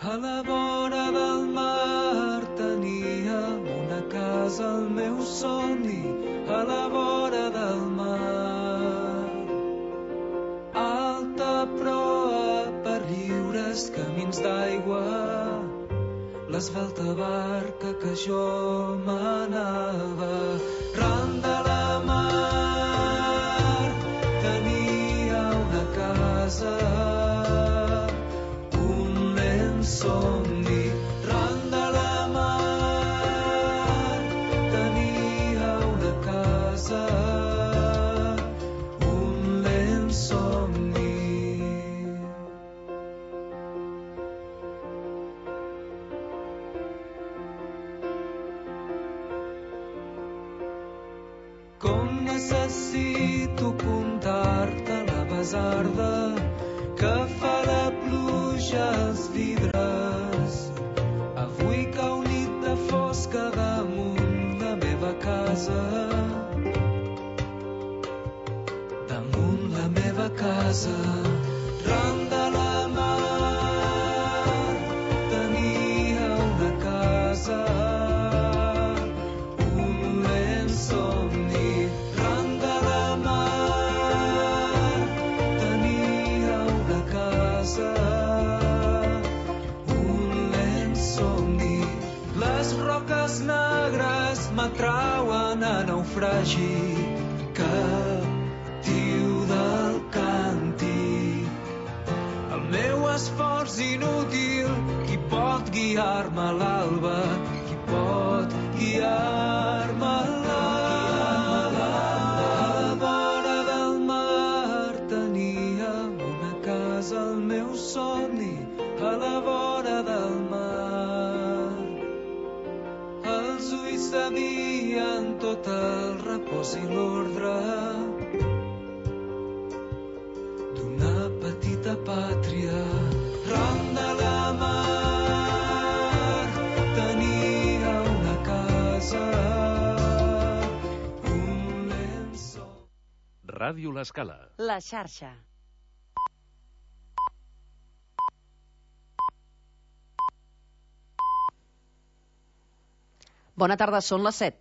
Speaker 22: A la vora del mar teníem una casa, el meu somni, a la vora del mar. Alta proa per lliures camins d'aigua, l'esvelta barca que jo manava. Ran de la mar tenia una casa, somni. Ran de la mar tenia una casa, un lent somni. Com necessito contar-te la basarda que fa la pluja als vidres. Avui cau nit de fosca damunt la meva casa, damunt la meva casa. Ran de la mar tenia una casa, un lent somni. Ran de la mar tenia una casa, un lent somni. ombres negres m'atrauen a naufragi, captiu del càntic. El meu esforç inútil, qui pot guiar-me a l'alba, qui pot guiar-me a l'alba. A la vora del mar teníem una casa, el meu somni, a la vora del mar. Els ulls sabien tot el repòs i l'ordre d'una petita pàtria. Ram de la mar tenia una casa, un llençol.
Speaker 16: Ràdio L'Escala.
Speaker 21: La xarxa. Bona tarda, són les 7.